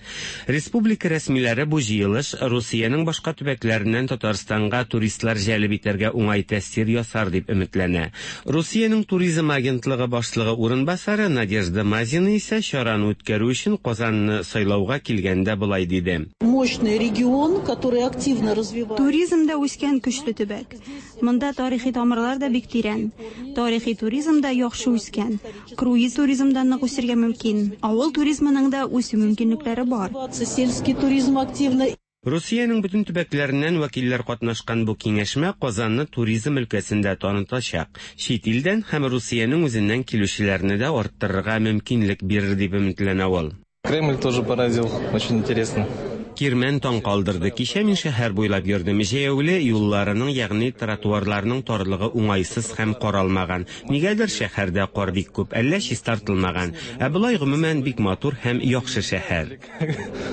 Республика рәсмиләре бу җыелыш Русиянең башка төбәкләреннән Татарстанга туристлар җәлеп итәргә уңай тәэсир ясар дип өметләнә. Русиянең туризм агентлыгы башлыгы урынбасары Надежда Мазина исә чараны үткәрү өчен Казанны сайлауга килгәндә болай диде. Мощный регион, который активно развивается. Туризмда үскән көчле төбәк. Монда тарихи тамырлар да бик тирән. Тарихи туризм да яхшы үскән. Круиз туризм да нык үсергә мөмкин. Авыл туризмының да үсү мөмкинлекләре бар. Сельский туризм активно. Русиянең бөтен төбәкләреннән вәкилләр катнашкан бу киңәшмә Казанны туризм өлкәсендә танытачак, чит илдән һәм Русиянең үзеннән килүчеләрне дә арттырырга мөмкинлек бирер дип өметләнә ул. Кремль тоже поразил, очень интересно. Кирмән таң калдырды. Кичә мин шәһәр буйлап йөрдем. Җәяүле юлларының, ягъни тротуарларның тарлыгы уңайсыз һәм каралмаган. Нигәдер шәһәрдә кар бик күп, әллә чистартылмаган. Ә болай гомумән бик матур һәм яхшы шәһәр.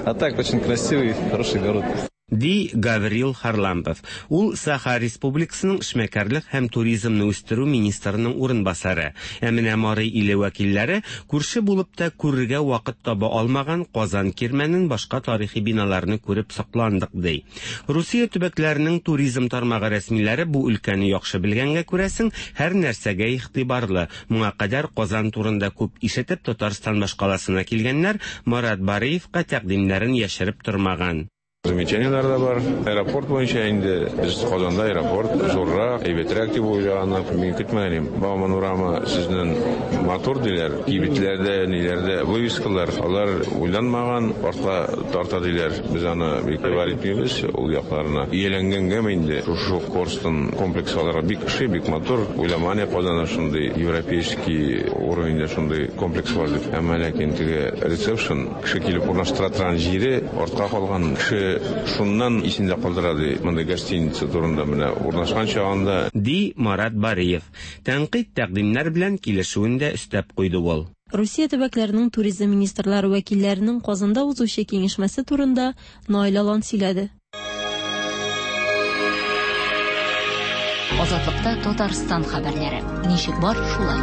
А так очень красивый, хороший город. Ди Гаврил Харлампов. Ул Саха Республикасының эшмәкәрлек һәм туризмны үстерү министрының урынбасары. Ә менә Мари иле вәкилләре күрше булып та күрергә вакыт таба алмаган Казан Кирмәнен, башка тарихи биналарны күреп сокландык, ди. Русия төбәкләренең туризм тармагы рәсмиләре бу өлкәне яхшы белгәнгә күрәсең, һәр нәрсәгә игътибарлы. Моңа кадәр Казан турында күп ишетеп Татарстан башкаласына килгәннәр Марат Бариевка тәкъдимнәрен яшереп тормаган. Замечаниеләр дә бар. Аэропорт буенча инде без Казанда аэропорт зуррак, әйбәтрәк дип уйлаганнар. Мин көтмәгән идем. Бауман урамы сезнең матур диләр. Кибетләрдә, ниләрдә вывескалар, алар уйланмаган, артка тарта диләр. Без аны бик игътибар итмибез ул якларына. Ияләнгәнгәме инде, шушы Корстон комплексы аларга бик ошый, бик матур. Уйламаган идек Казанда шундый европейский уровеньдә шундый комплекс бар дип. Әмма ләкин теге ресепшн, кеше килеп урнаштыра торган җире артка калган. Кеше шуннан исендә калдыра, ди, мондый гостиница турында менә урнашкан чагында. Ди Марат Бариев. Тәнкыйть-тәкъдимнәр белән килешүен дә өстәп куйды ул. Русия төбәкләренең туризм министрлары вәкилләренең Казанда узучы киңәшмәсе турында Наил Алан сөйләде. Азатлыкта Татарстан хәбәрләре. Ничек бар, шулай.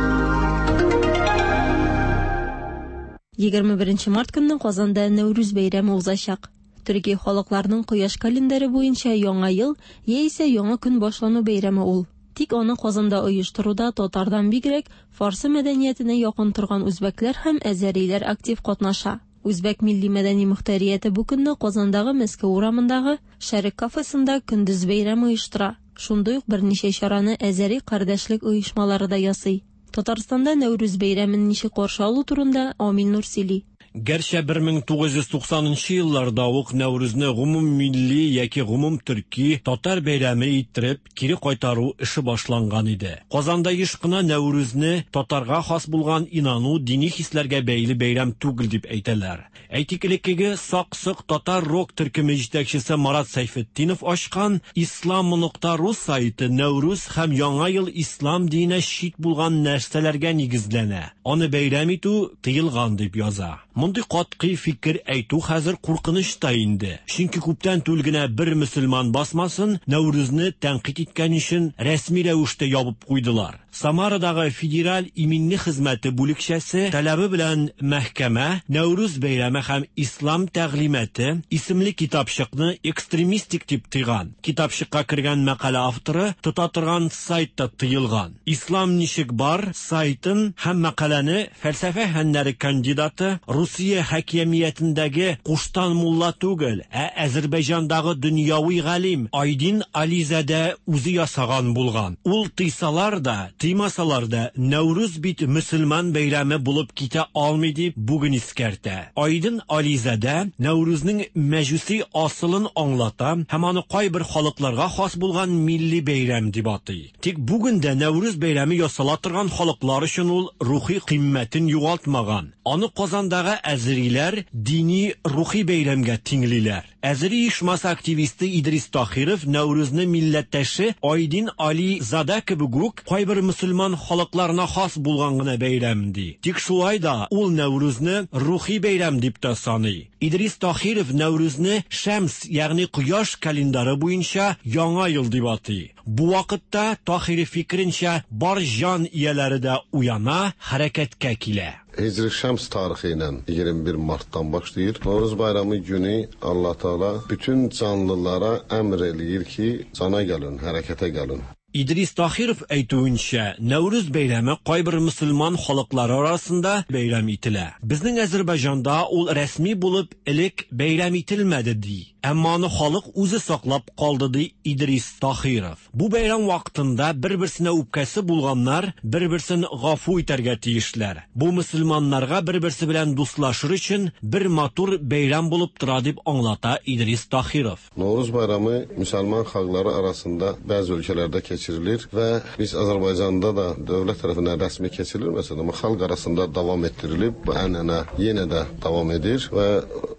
21 март көнне Казанда Нәүрүз бәйрәме узачак. Төрки халыкларның кояш календаре буенча Яңа ел яисә яңа көн башлану бәйрәме ул. Тик аны Казанда оештыруда татардан бигрәк фарсы мәдәниятенә якын торган үзбәкләр һәм әзәриләр актив катнаша. Үзбәк милли-мәдәни мохтәрияте бу көнне Казандагы Мәскәү урамындагы Шәрык кафесында көндез бәйрәм оештыра. Шундый ук берничә чараны әзәри кардәшлек оешмалары да ясый. Татарстанда Нәүрүз бәйрәмен ничек каршы алу турында Амил Нур сөйли. Гәрчә 1990 нчы елларда ук Нәүрүзне гомуммилли яки гомумтөрки татар бәйрәме иттереп кире кайтару эше башланган иде. Казанда еш кына Нәүрүзне татарга хас булган инану, дини хисләргә бәйле бәйрәм түгел дип әйтәләр. Әйтик, элеккеге Сак-Сок татар рок төркеме җитәкчесе Марат Сәйфетдинов ачкан Ислам нокта ру сайты Нәүрүз һәм Яңа ел ислам диненә чит булган нәрсәләргә нигезләнә, аны бәйрәм итү тыелган дип яза. Мондый катгый фикер әйтү хәзер куркыныч та инде. Чөнки күптән түгел генә бер мөселман басмасын Нәүрүзне тәнкыйть иткән өчен рәсми рәвештә ябып куйдылар. Самарадагы Федераль иминлек хезмәте бүлекчәсе таләбе белән мәхкәмә Нәүрүз бәйрәме һәм ислам тәгълиматы исемле китапчыкны экстремистик дип тыйган. Китапчыкка кергән мәкалә авторы тота торган сайт та тыелган. Ислам ничек бар сайтын һәм мәкаләне фәлсәфә фәннәре кандидаты Русия хакимиятендәге куштан мулла түгел, ә Әзербайҗандагы дөньяви галим Айдин Ализадә үзе ясаган булган. Ул тыйсалар да, тыймасалар да, Нәүрүз бит мөселман бәйрәме булып китә алмый дип бүген искәртә. Айдин Ализадә Нәүрүзнең мәҗүси асылын аңлата һәм аны кайбер халыкларга хас булган милли бәйрәм дип атый. Тик бүген дә Нәүрүз бәйрәме ясала торган халыклар өчен ул рухи кыйммәтен югалтмаган. Аны Казандагы әзериләр дини рухи бәйрәмгә тиңлиләр. Әзери оешмасы активисты Идрис Тахиров Нәүрүзне милләттәше Айдин Али Зада кебек үк кайбер мөселман халыкларына хас булган гына бәйрәм ди. Тик шулай да ул Нәүрүзне рухи бәйрәм дип тә саный. Идрис Тахиров Нәүрүзне Шәмс, ягъни кояш календары буенча яңа ел дип атый. Бу вакытта Тахиров фикеренчә бар җан ияләре дә уяна, хәрәкәткә килә. Hicri Şəms tarixi ilə 21 martdan başlayır. Novruz bayramı günü Allah Teala bütün canlılara əmr eləyir ki, cana gəlin, hərəkətə gəlin. Идрис Тахиров әйтүенчә, Нәүрүз бәйрәме кайбер мөселман халыклары арасында бәйрәм ителә. Безнең Әзербайҗанда ул рәсми булып элек бәйрәм ителмәде ди. Әмма аны халык үзе саклап калды ди Идрис Тахиров. Бу бәйрәм вакытында бер-берсенә үпкәсе булганнар бер-берсен гафу итәргә тиешләр. Бу мөселманнарга бер-берсе белән дуслашыр өчен бер матур бәйрәм булып тора дип аңлата Идрис Тахиров. Novruz bayramı müsəlman xalqları arasında bəzi ölkələrdə keçirilir və biz Azərbaycanda da dövlət tərəfindən rəsmi keçirilməsə də, amma xalq arasında davam etdirilib, bu ənənə yenə də davam edir və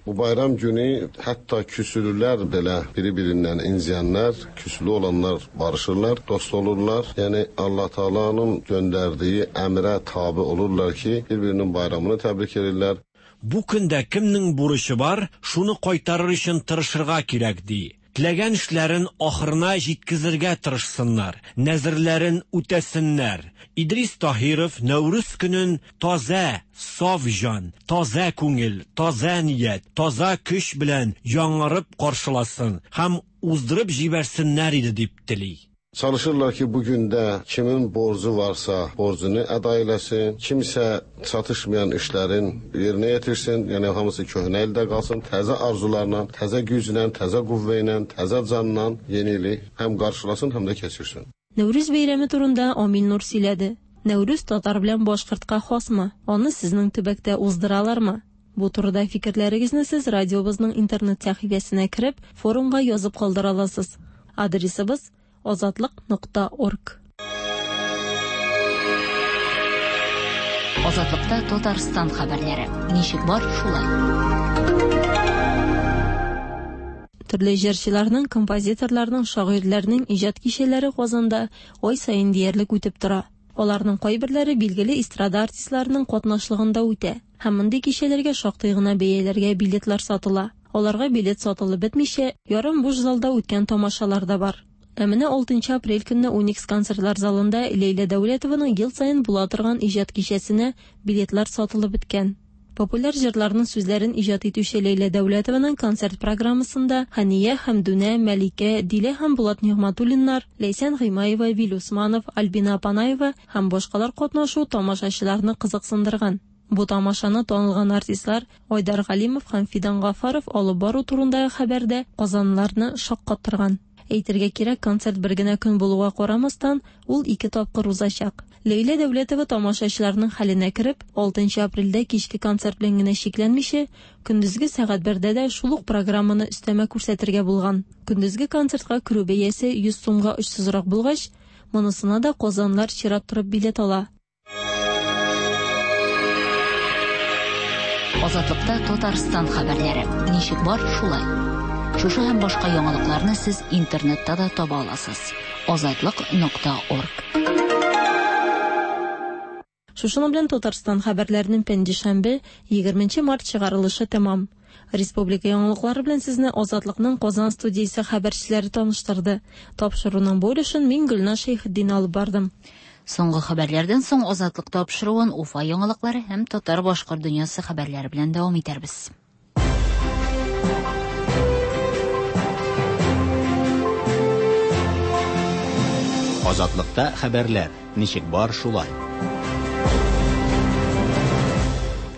bu bayram günü hətta küsülülər belə biri-birindən inciyənlər, küsülü olanlar barışırlar, dost olurlar. Yəni Allah Taala'nın göndərdiyi əmrə tabi olurlar ki, bir-birinin bayramını təbrik edirlər. Бу көндә кемнең бурычы бар, шуны кайтарыр өчен тырышырга кирәк ди. Теләгән эшләрен ахырына җиткезергә тырышсыннар, нәзерләрен үтәсеннәр. Идрис Таһиров Нәүрүз көнен таза, саф җан, таза күңел, таза ният, таза көч белән яңарып каршыласын һәм уздырып җибәрсеннәр иде дип тели. Çalışırlar ki, bu gündə kimin borcu varsa borcunu əda eləsin, kimsə çatışmayan işlərin yerinə yetirsin, yəni hamısı köhnə ildə qalsın, təzə arzularla, təzə güclə, təzə qüvvə ilə, təzə canla yeni ili həm qarşılasın, həm də keçirsin. Нәүрүз бәйрәме турында Амил Нур сөйләде. Нәүрүз татар белән башкортка хасмы? Аны сезнең төбәктә уздыралармы? Бу турыда фикерләрегезне сез радиобызның интернет сәхифәсенә кереп, форумга язып калдыра аласыз. Адресыбыз азатлык.орг. Азатлыкта Татарстан хәбәрләре. Ничек бар, шулай. Төрле җырчыларның, композиторларның, шагыйрьләрнең иҗат кичәләре Казанда ай саен диярлек үтеп тора. Аларның кайберләре билгеле эстрада артистларының катнашлыгында үтә. Һәм мондый кичәләргә шактый гына бәяләргә билетлар сатыла. Аларга билет сатылып бетмичә, ярым буш залда үткән тамашалар да бар. Ә менә 6 апрель көнне Уникс концертлар залында Ләйлә Дәүләтованың ел саен була торган иҗат кичәсенә билетлар сатылып беткән. Популяр җырларның сүзләрен иҗат итүче Ләйлә Дәүләтованың концерт программасында Хәния Хәмдүнә, Мәликә, Дилә һәм Булат Нигъмәтуллиннар, Ләйсән Гыймаева, Вил Усманов, Альбина Апанаева һәм башкалар катнашу тамашачыларны кызыксындырган. Бу тамашаны танылган артистлар Айдар Галимов һәм Фидан Гафаров алып бару турындагы хәбәрдә казанлыларны шаккаттырган. Әйтергә кирәк, концерт бер генә көн булуга карамастан, ул ике тапкыр узачак. Ләйлә Дәүләтова тамашачыларның хәленә кереп, 6 апрельдә кичке концерт белән генә чикләнмичә, көндезге сәгать бердә дә шул ук программаны өстәмә күрсәтергә булган. Көндезге концертка керү бәясе 100 сумга очсызрак булгач, монысына да казанлар чират торып билет ала. Азатлыкта Татарстан хәбәрләре. Ничек бар, шулай. Шушы һәм башка яңалыкларны сез интернетта да таба аласыз. Азатлык.орг. Шушының белән Татарстан хәбәрләренең пәнҗешәмбе, 20 март чыгарылышы тәмам. Республика яңалыклары белән сезне Азатлыкның Казан студиясе хәбәрчеләре таныштырды. Тапшыруның бу өлешен мин Гөлназ Шәйхетдин алып бардым. Соңгы хәбәрләрдән соң Азатлык тапшыруын Уфа яңалыклары һәм татар-башкорт дөньясы хәбәрләре белән дәвам итәрбез. Азатлыкта хәбәрләр. Ничек бар, шулай.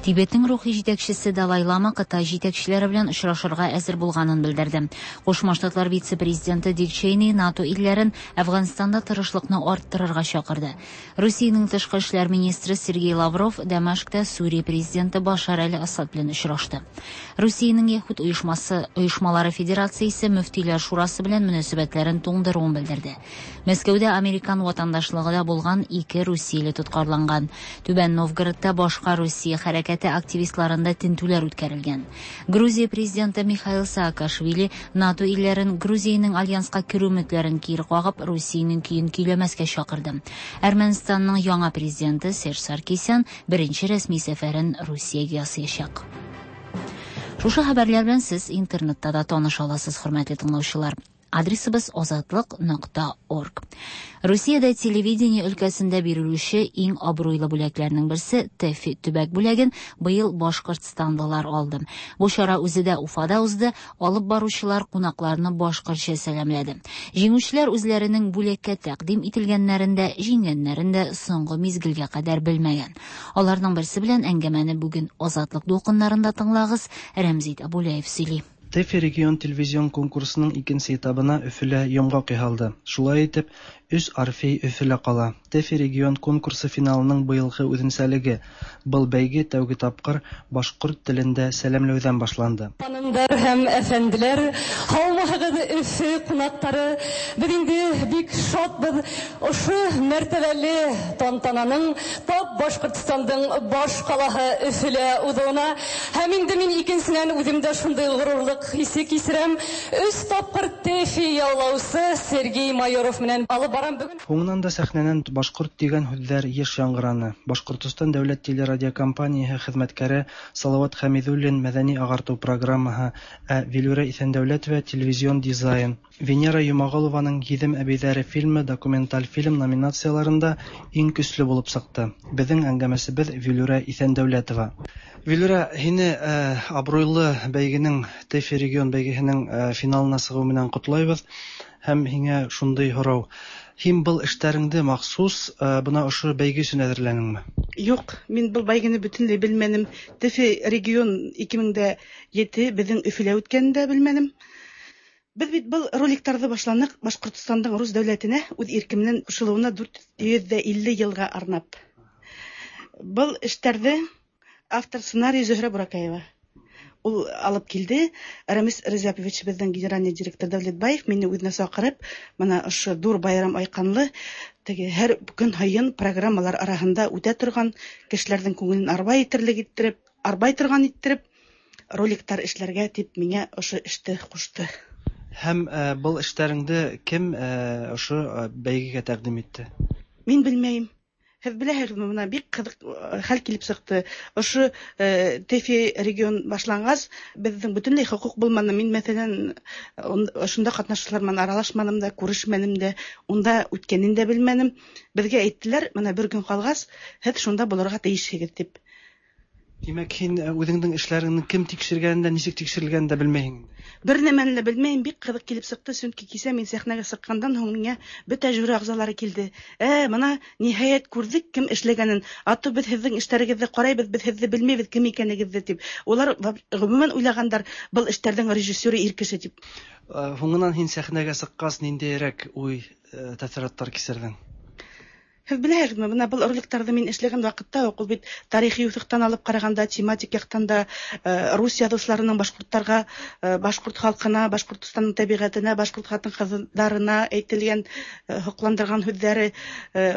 Тибетнең рухи җитәкчесе Далай Лама Кытай җитәкчеләре белән очрашырга әзер булганын белдерде. Кушма Штатлар вице-президенты Дик Чейни НАТО илләрен Әфганстанда тырышлыкны арттырырга чакырды. Русиянең тышкы эшләр министры Сергей Лавров Дамашкта Сүрия президенты Башар әл-Асад белән очрашты. Русиянең Яһүд оешмасы оешмалары федерациясе мөфтиләр шурасы белән мөнәсәбәтләрен туңдыруын белдерде. Мәскәүдә американ ватандашлыгы да булган ике русияле тоткарланган. Түбән Новгородта башка Русия хәрәкәте активистларында тентүләр үткәрелгән. Грузия президенты Михаил Саакашвили НАТО илләрен Грузиянең альянска керү өметләрен кире кагып, Русиянең көен көйләмәскә чакырды. Әрмәнстанның яңа президенты Серж Саркисян беренче рәсми сәфәрен Русиягә ясаячак. Шушы хәбәрләр белән сез интернетта да таныша аласыз, хөрмәтле тыңлаучылар. Адресыбыз азатлык.орг. Русиядә телевидение өлкәсендә бирелүче иң абруйлы бүләкләрнең берсе ТЭФИ төбәк бүләген быел башкортстанлылар алды. Бу чара үзе дә Уфада узды, алып баручылар кунакларны башкортча сәламләде. Җиңүчеләр үзләренең бүләккә тәкъдим ителгәннәрен дә, җиңгәннәрен дә соңгы мизгелгә кадәр белмәгән. Аларның берсе белән әңгәмәне бүген Азатлык дулкыннарында тыңлагыз, Рәмзит Абулаев сөйли. ТЭФИ регион телевизион конкурсының икенче этабына Өфөлә йомгак яһалды. Шулай итеп, өч Орфей Өфөлә кала. ТЭФИ регион конкурсы финалының быелгы үзенчәлеге – был бәйге тәүге тапкыр башкорт телендә сәламләүдән башланды. Ханымдар һәм әфәнделәр, һаумыһыгыҙ, Өфө ҡунаҡтары! Беҙ инде бик шатбыҙ ошо мәртәбәле тантананың тап Башҡортостандың баш ҡалаһы Өфөлә уҙыуына. Һәм инде мин икенсенән үҙем дә шундай ғорурлыҡ хисе кисерәм. Өс тапҡыр ТЭФИ яулаусы Сергей Майоров менән алып барам бөгөн. Һуңынан да сәхнәнән башҡорт тигән һүҙҙәр йыш яңғыраны. Башҡортостан дәүләт телерадиокомпанияһы хеҙмәткәре Салават Хәмиҙуллин мәҙәни ағартыу программаһы, ә Вилүрә Иҫәндәүләтова телевизион дизайн. Венера Йомағолованың Гиҙем әбейҙәре фильмы документаль фильм номинацияларында иң көслө булып сыҡты. Беҙҙең әңгәмәсебеҙ Вилүрә Иҫәндәүләтова. Вилүрә, һине абруйлы бәйгенең ТЭФИ регион бәйгеһенең финалына сығыу менән ҡотлайбыҙ. Һәм һиңә шундай һорау. Һин был эштәреңде махсус бына ошо бәйге өсөн әҙерләнеңме? Юҡ, мин был бәйгене бөтөнләй белмәнем. ТЭФИ регион 2007 беҙҙең Өфөлә үткәнен дә белмәнем. Беҙ бит был роликтарҙы башланыҡ Башҡортостандың рус дәүләтенә үҙ ирке менән ҡушылыуына 450 йылға арнап. Был эштәрҙе автор сценарий Зөһрә Буракаева. Ул алып килде. Рамис Резяпович, беҙҙең генеральный директор Дәүләтбаев мине үҙенә саҡырып, бына ошо ҙур байрам айҡанлы, теге һәр көн һайын программалар араһында үтә торған кешеләрҙең күңелен арбай итерлек иттереп, арбай торған иттереп роликтар эшләргә тип миңә ошо эште ҡушты. Һәм был эштәреңде кем ошо бәйгегә тәҡдим итте? Мин белмәйем. Һеҙ беләһегеҙме, бына бик ҡыҙыҡ хәл килеп сыҡты. Ошо ТЭФИ регион башланғас, беҙҙең бөтөнләй хоҡуҡ булманы. Мин, мәҫәлән, ошонда ҡатнашыусылар менән аралашманым да, күрешмәнем дә, унда үткәнен дә белмәнем. Беҙгә әйттеләр, бына бер көн ҡалғас, һеҙ шунда булырға тейешһегеҙ тип. Димәк, һин үзеңнең эшләреңне кем тикшергәнен дә, ничек тикшерелгәнен дә белмәйһең инде. Бер нәмәне дә белмәйем, бик кызык килеп чыкты, чөнки кичә мин сәхнәгә чыкканнан һуң миңа бөтә жюри әгъзалары килде. Ә, мына, ниһаять, күрдек кем эшләгәнен, а то без һезнең эшләрегезне карайбыз, без һезне белмибез кем икәнегезне, дип. Улар гомумән уйлагандар, был эшләрнең режиссеры ир кеше дип. Һуңыннан һин сәхнәгә чыккач, ниндиерәк уй, тәэссоратлар кичердең? Һеҙ беләһегеҙме, бына был роликтарҙы мин эшләгән ваҡытта уҡ, ул бит тарихи юҫыҡтан алып ҡарағанда, тематик яҡтан да, рус яҙыусыларының башҡорттарға, башҡорт халҡына, Башҡортостандың тәбиғәтенә, башҡорт ҡатын-ҡыҙҙарына әйтелгән һоҡландырған һүҙҙәре,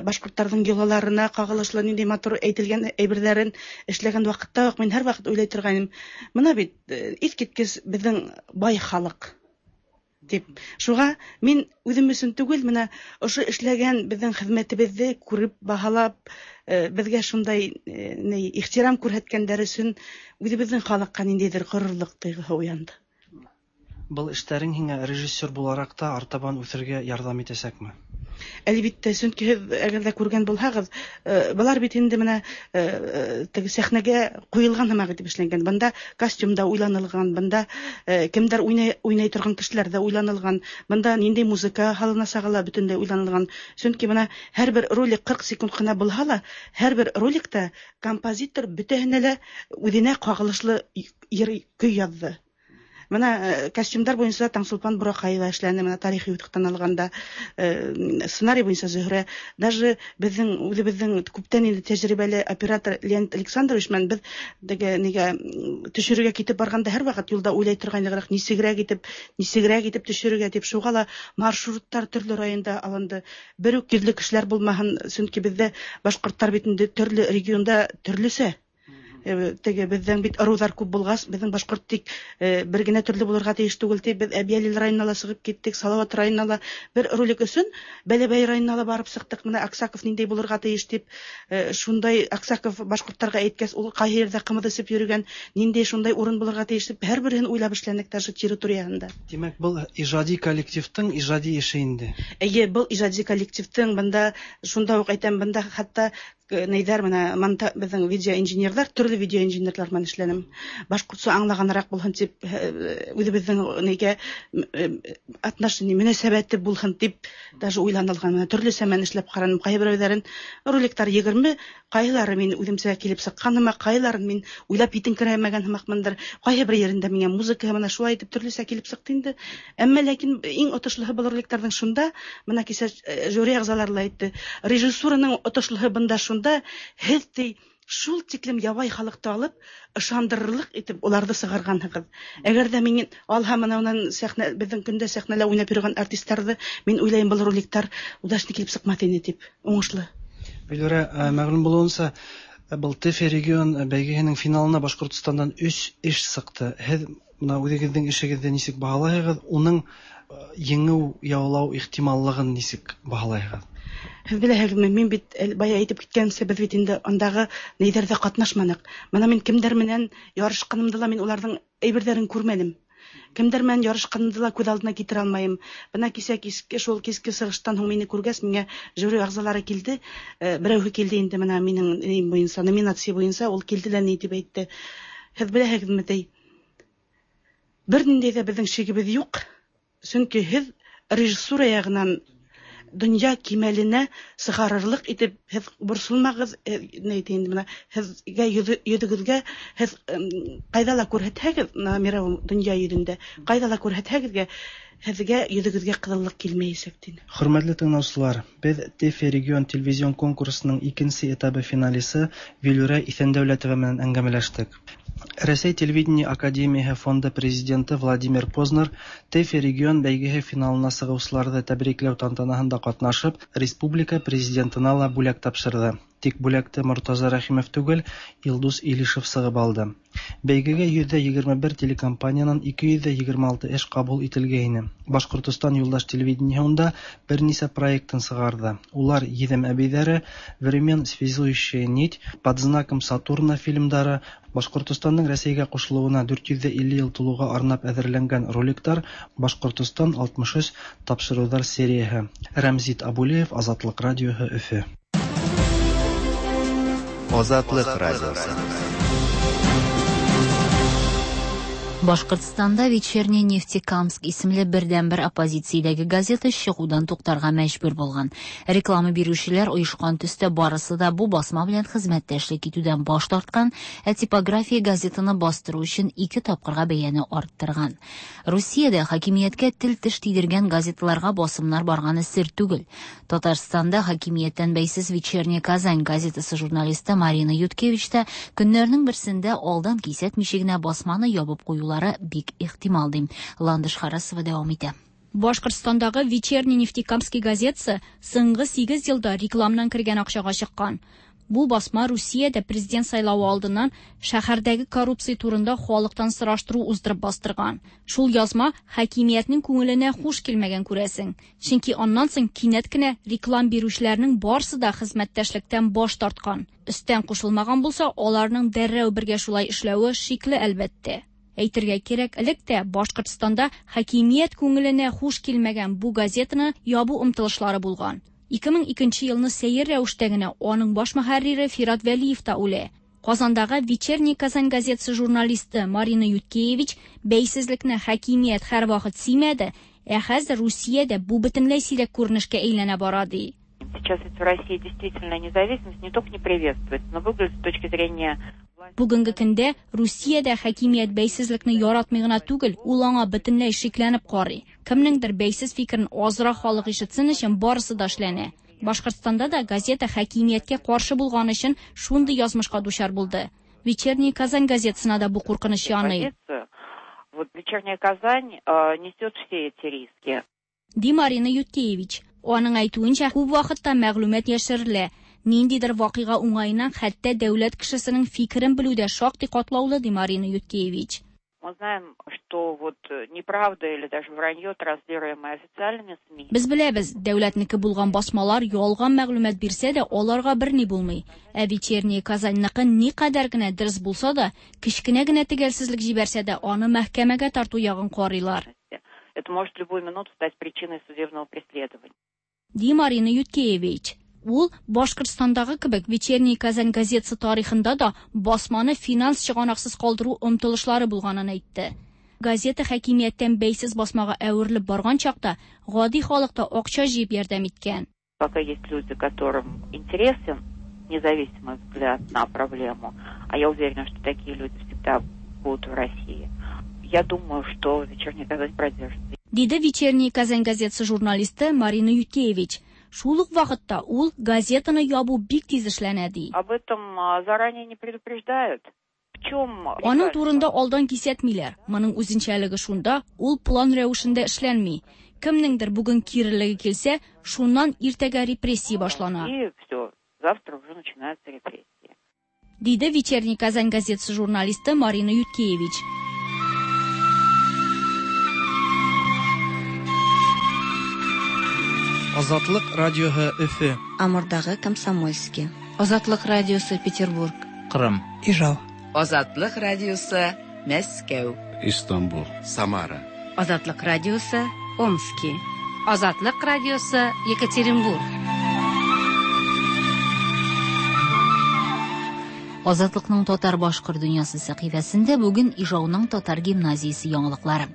башҡорттарҙың йолаларына ҡағылышлы ниндәй матур әйтелгән әйберҙәрен эшләгән ваҡытта уҡ мин һәр ваҡыт уйлай торғайным. Бына бит иҫ киткес беҙҙең бай халыҡ дип. Шуға мин үҙем өсөн түгел, бына ошо эшләгән беҙҙең хеҙмәтебеҙҙе күреп, баһалап, беҙгә шундай ихтирам күрһәткәндәр өсөн үҙебеҙҙең халыҡҡа ниндәйҙер ғорурлыҡ тойғоһо уянды. Был эштәрең һиңә режиссер булараҡ та артабан үҫергә ярҙам итәсәкме? Әлбиттә, сөнки һеҙ әгәр ҙә күргән булһағыҙ, былар бит инде бына теге сәхнәгә ҡуйылған һымаҡ итеп эшләнгән. Бында костюм да уйланылған, бында кемдәр уйнай торған кешеләр ҙә уйланылған, бында ниндәй музыка һалынасағы ла бөтөнләй уйланылған. Сөнки бына һәр бер ролик 40 секунд ҡына булһа ла, һәр бер роликта композитор бөтәһенә лә үҙенә ҡағылышлы йыр көй яҙҙы. Бына костюмдар буйынса Таңсулпан Бураҡаева эшләне, бына тарихи юҫыҡтан алғанда, сценарий буйынса Зөһрә, даже беҙҙең үҙебеҙҙең күптән инде тәжрибәле оператор Леонид Александрович менән беҙ теге нигә төшөрөргә китеп барғанда һәр ваҡыт юлда уйлай торғайныҡ, нисегерәк итеп, нисегерәк итеп төшөрөргә тип, шуға ла маршруттар төрлө районда алынды. Бер үк йөҙлө кешеләр булмаһын, сөнки беҙҙә башҡорттар бит инде төрлө регионда төрлөсә. Теге беҙҙең бит ырыуҙар күп булғас, беҙҙең башҡорт тик бер генә төрлө булырға тейеш түгел тип, беҙ Әбйәлил районына ла сығып киттек, Салауат районына ла бер ролик өсөн Бәләбәй районына ла барып сыҡтыҡ. Бына Аксаков ниндәй булырға тейеш тип, шундай Аксаков башҡорттарға әйткәс, ул ҡайһы ерҙә ҡымыҙ эсеп йөрөгән, ниндәй шундай урын булырға тейеш тип, һәр береһен уйлап эшләнек даже территорияһында. Тимәк, был ижади коллективтың ижади эше инде. Эйе, был ижади коллективтың, бында шунда уҡ әйтәм, бында хатта нейҙәр, бына монта, беҙҙең видеоинженерҙар, төрлө видеоинженерҙар менән эшләнем. Башҡортса аңлағаныраҡ булһын тип, үҙебеҙҙең нейгә отношение, мөнәсәбәте булһын тип даже уйланылған. Бына төрлөсә менән эшләп ҡараным. Ҡайһы берәүҙәрен роликтар 20, ҡайһылары мин үҙемсә килеп сыҡҡан һымаҡ, ҡайһыларын мин уйлап етеңкерәмәгән һымаҡмындыр. Ҡайһы бер ерендә миңә музыка бына шулай итеп төрлөсә килеп сыҡты инде. Әммә ләкин иң отошлоһо был роликтарҙың шунда, бына кисә жюри ағзалары ла әйтте, режиссураның отошлоһо бында шунда, һеҙ ти шул тиклем ябай халыҡты алып, ышандырырлыҡ итеп уларҙы сығарғанһығыҙ. Әгәр ҙә мин алһам, бына унан сәхнә, беҙҙең көндә сәхнәлә уйнап йөрөгән артистарҙы, мин уйлайым, был роликтар удачно килеп сыҡмаҫ ине тип, уңышлы. Вилүрә, мәғлүм булыуынса, был ТЭФИ регион бәйгеһенең финалына Башҡортостандан 3 эш сыҡты. Һеҙ бына үҙегеҙҙең эшегеҙҙе нисек баһалайһығыҙ, уның еңеү яулау ихтималлығын нисек баһалайһығыҙ? Һеҙ беләһегеҙме, мин бит бая әйтеп киткәнсә, беҙ бит инде андағы нейҙәрҙә ҡатнашманыҡ. Бына мин кемдәр менән ярышҡанымды ла мин уларҙың әйберҙәрен күрмәнем. Кемдәр менән ярышҡанымды ла күҙ алдына килтерә алмайым. Бына кисә киске, шул киске сығыштан һуң мине күргәс, миңә жюри ағзалары килде. Берәүһе килде инде бына минең нейем буйынса, номинация буйынса, ул килде лә ни тип әйтте. Һеҙ беләһегеҙме, ти, бер ниндәй ҙә беҙҙең шигебеҙ юҡ, сөнки һеҙ режиссура яғынан донъя кимәленә сығарырлыҡ итеп һеҙ борсолмағыҙ, ни әйтә инде бына, һеҙгә йөҙөгөҙгә һеҙ ҡайҙа ла күрһәтһәгеҙ, бына мировой донъя йөҙөндә ҡайҙа ла күрһәтһәгеҙгә, һеҙгә йөҙөгөҙгә ҡыҙыллыҡ килмәйәсәк, тине. Хөрмәтле тыңлаусылар, беҙ ТЭФИ регион телевизион конкурсының икенсе этабы финалисы Вилүрә Иҫәндәүләтова менән әңгәмәләштек. Рәсәй телевидение академияһы фонды президенты Владимир Познер ТЭФИ регион бәйгеһе финалына сығыусыларҙы тәбрикләү тантанаһында ҡатнашып, республика президентына ла бүләк тапшырҙы. Тик бүләкте Мортаза Рәхимов түгел, Илдус Илишев сығып алды. Бәйгегә 121 телекомпаниянан 226 эш ҡабул ителгәйне. Башҡортостан юлдаш телевидениеһында бер нисә проектын сығарҙы. Улар Еҙем әбейҙәре, Времен связующая нить, Под знаком Сатурна фильмдары, Башҡортостандың Рәсәйгә ҡушылыуына 450 йыл тулыуға арнап әҙерләнгән роликтар, Башҡортостан 63 тапшырыуҙар серияһы. Рәмзит Абулеев, Азатлыҡ радиоһы, Өфө. Азатлыҡ радиосы. Башкортстанда Вечерний Нефтекамск исемле бердәнбер оппозициядәге газета чыгудан туктарга мәҗбүр булган. Реклама бирүчеләр оешкан төстә барысы да бу басма белән хезмәттәшлек итүдән баш тарткан, ә типография газетаны бастыру өчен ике тапкырга бәяне арттырган. Русиядә хакимияткә тел-теш тидергән газеталарга басымнар барганы сер түгел. Татарстанда хакимияттән бәйсез Вечерняя Казань газетасы журналисты Марина Юткевич та көннәрнең берсендә алдан кисәтмичә генә басманы ябып куюлары бик ихтимал, ди. Ландыш Харасова дәвам итә. Башкортстандагы Вечерний Нефтекамский газетасы соңгы 8 елда рекламнан кергән акчага чыккан. Бу басма Русиядә президент сайлавы алдыннан шәһәрдәге коррупция турында халыктан сораштыру уздырып бастырган. Шул язма хакимиятнең күңеленә хуш килмәгән күрәсең. Чөнки аннан соң кинәт кенә реклам бирүчеләрнең барысы да хезмәттәшлектән баш тарткан. Өстән кушылмаган булса, аларның дәррәү бергә шулай эшләве шикле әлбәттә. Әйтергә кирәк, элек тә Башкортстанда хакимият күңеленә хуш килмәгән бу газетаны ябу омтылышлары булган. 2002 елны сәер рәвештә генә аның баш мөхәррире Фират Вәлиев та үлә. Казандагы Вечерний Казань газетасы журналисты Марина Юткевич бәйсезлекне хакимият һәрвакыт сөймәде, ә хәзер Русиядә бу бөтенләй сирәк күренешкә әйләнә бара ди. Сейчас ведь в России действительно независимость не только не приветствуется, но выглядит с точки зрения Бүгенге көндә Русиядә хакимият бәйсезлекне яратмый гына түгел, ул аңа бөтенләй шикләнеп карый. Кемнеңдер бәйсез фикерен азрак халык ишетсен өчен барысы да эшләнә. Башкортстанда да газета хакимияткә каршы булган өчен шундый язмышка дучар булды. Вечерний Казань газетасына да бу куркыныч яный. Вот Вечерняя Казань несет все эти риски. Ди Марина Юткевич. Аның әйтүенчә, күп вакытта мәгълүмат яшерелә. Ниндидер вакыйга уңаеннан хәтта дәүләт кешесенең фикерен белү дә шактый катлаулы, ди Марина Юткевич. Мы знаем, что вот неправда или даже вранье, транслируемое официальными СМИ. Без беләбез, дәүләтнеке булган басмалар ялган мәгълүмат бирсә дә, аларга берни булмый. Ә Вечерняя Казаньныкы никадәр генә дөрес булса да, кечкенә генә төгәлсезлек җибәрсә дә, аны мәхкәмәгә тарту ягын карыйлар. Это может в любую минуту стать причиной судебного преследования. Ди Марина Юткевич. Ул Башкортстандагы кебек Вечерний Казань газетасы тарихында да басманы финанс чыганаксыз калдыру омтылышлары булганын әйтте. Газета хакимияттән бәйсез басмага әверелеп барган чакта гади халык та акча җыеп ярдәм иткән. Пока есть люди, которым интересен независимый взгляд на проблему, а я уверена, что такие люди всегда будут в России. Я думаю, что Вечерняя Казань продержится. Диде Вечерний Казань газетасы журналисты Марина Юткевич. Шул ук вакытта ул газетаны ябу бик тиз эшләнә ди. Об этом заранее не предупреждают. В чем Аның турында алдан кисәтмиләр. Моның үзенчәлеге шунда, ул план рәвешендә эшләнми. Кемнеңдер бүген кирелеге килсә, шуннан иртәгә репрессия башлана. И все, завтра уже начинаются репрессии. Диде Вечерний Казань газетасы журналисты Марина Юткевич. Азатлык радиоһы Өфе. Амурдагы Комсомольский. Азатлык радиосы Петербург. Кырым. Ижау. Азатлык радиосы Мәскәү. Истанбул. Самара. Азатлык радиосы Омски. Азатлык радиосы Екатеринбург. Азатлыкның татар башкорт дөньясы сәхифәсендә бүген Ижауның татар гимназиясе яңалыклары.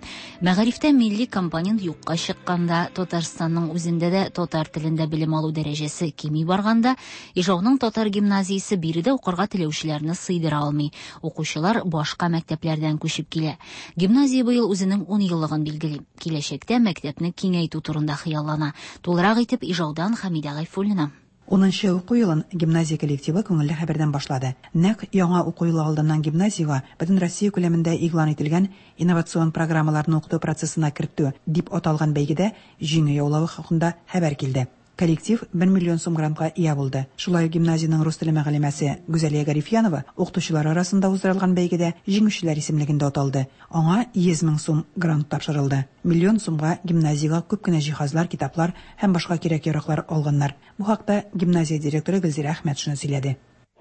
Мәгарифтә милли компонент юкка чыкканда, Татарстанның үзендә дә татар телендә белем алу дәрәҗәсе кими барганда, Ижауның татар гимназиясе биредә укырга теләүчеләрне сыйдыра алмый. Укучылар башка мәктәпләрдән күчеп килә. Гимназия быел үзенең 10 еллыгын билгели. Киләчәктә мәктәпне киңәйтү турында хыяллана. Тулырак итеп Ижаудан Хәмидә Гайфуллина. Унынчы уку елын гимназия коллективы күңелле хәбәрдән башлады. Нәкъ яңа уку елы алдыннан гимназиягә бөтен Россия күләмендә игълан ителгән инновацион программаларны укыту процессына кертү дип аталган бәйгедә җиңү яулавы хакында хәбәр килде. Коллектив 1 миллион сум грантка ия булды. Шулай ук гимназиянең рус теле мөгаллимәсе Гүзәлия Гарифьянова укытучылар арасында уздырылган бәйгедә җиңүчеләр исемлегендә аталды. Аңа 100 мең сум грант тапшырылды. Миллион сумга гимназиягә күп кенә җиһазлар, китаплар һәм башка кирәк-яраклар алганнар. Бу хакта гимназия директоры Гөлзирә Әхмәтшина сөйләде.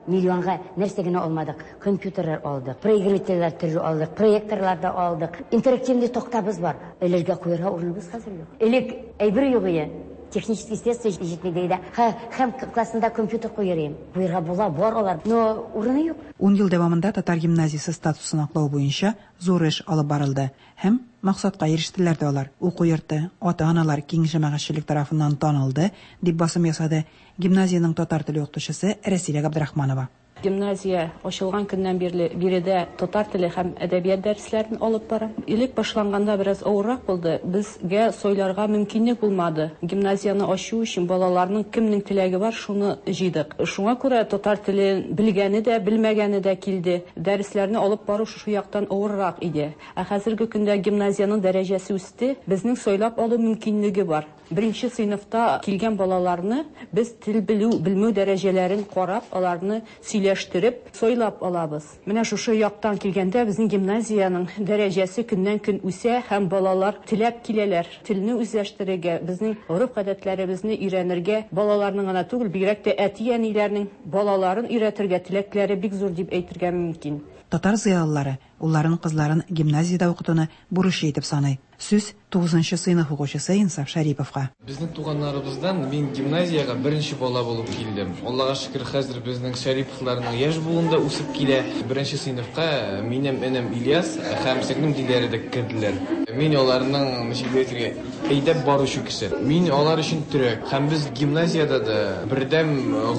Миллионга нәрсә генә алмадык. Компьютерлар алдык, проигрывательләр төрле алдык, проекторлар да алдык. Интерактивный тактабыз бар. Элергә куярга урыныбыз хәзер юк. Элек әйбер юк иде. Технический средства җитми ди дә. Һәм классында компьютер куер идем. Куерга була, бар алар, но урыны юк. Ун ел дәвамында татар гимназиясе статусын аклау буенча зур эш алып барылды һәм максатка ирештеләр дә алар. Уку йорты ата-аналар, киң җәмәгатьчелек тарафыннан танылды, дип басым ясады гимназиянең татар теле укытучысы Рәсилә Габдрахманова. Гимназия ачылган көннән бирле биредә татар теле һәм әдәбият дәресләрен алып барам. Элек башланганда бераз авыррак булды, безгә сайларга мөмкинлек булмады. Гимназияне ачу өчен балаларның кемнең теләге бар, шуны җыйдык. Шуңа күрә татар телен белгәне дә, белмәгәне дә килде. Дәресләрне алып бару шушы яктан авыррак иде. Ә хәзерге көндә гимназиянең дәрәҗәсе үсте, безнең сайлап алу мөмкинлеге бар. Беренче сыйныфта килгән балаларны без тел белү, белмәү дәрәҗәләрен карап, аларны сөйләштереп, сайлап алабыз. Менә шушы яктан килгәндә безнең гимназиянең дәрәҗәсе көннән-көн үсә һәм балалар теләп киләләр. Телне үзләштерергә, безнең гореф-гадәтләребезне өйрәнергә балаларның гына түгел, бигрәк тә әти-әниләрнең балаларын өйрәтергә теләкләре бик зур дип әйтергә мөмкин. Татар зыялылары улларын, кызларын гимназиядә укытуны бурычы итеп саный. Сүз, тугызынчы сыйныф укучысы Инсаф Шәриповка. Безнең туганнарыбыздан мин гимназиягә беренче бала булып килдем. Аллага шөкер, хәзер безнең Шәриповларның яшь буын да үсеп килә. Беренче сыйныфка минем энем Ильяс һәм сеңлем Диләрә дә керделәр. Мин аларның, ничек дип әйтергә, әйдәп баручы кеше. Мин алар өчен терәк. Һәм без гимназиядә дә бердәм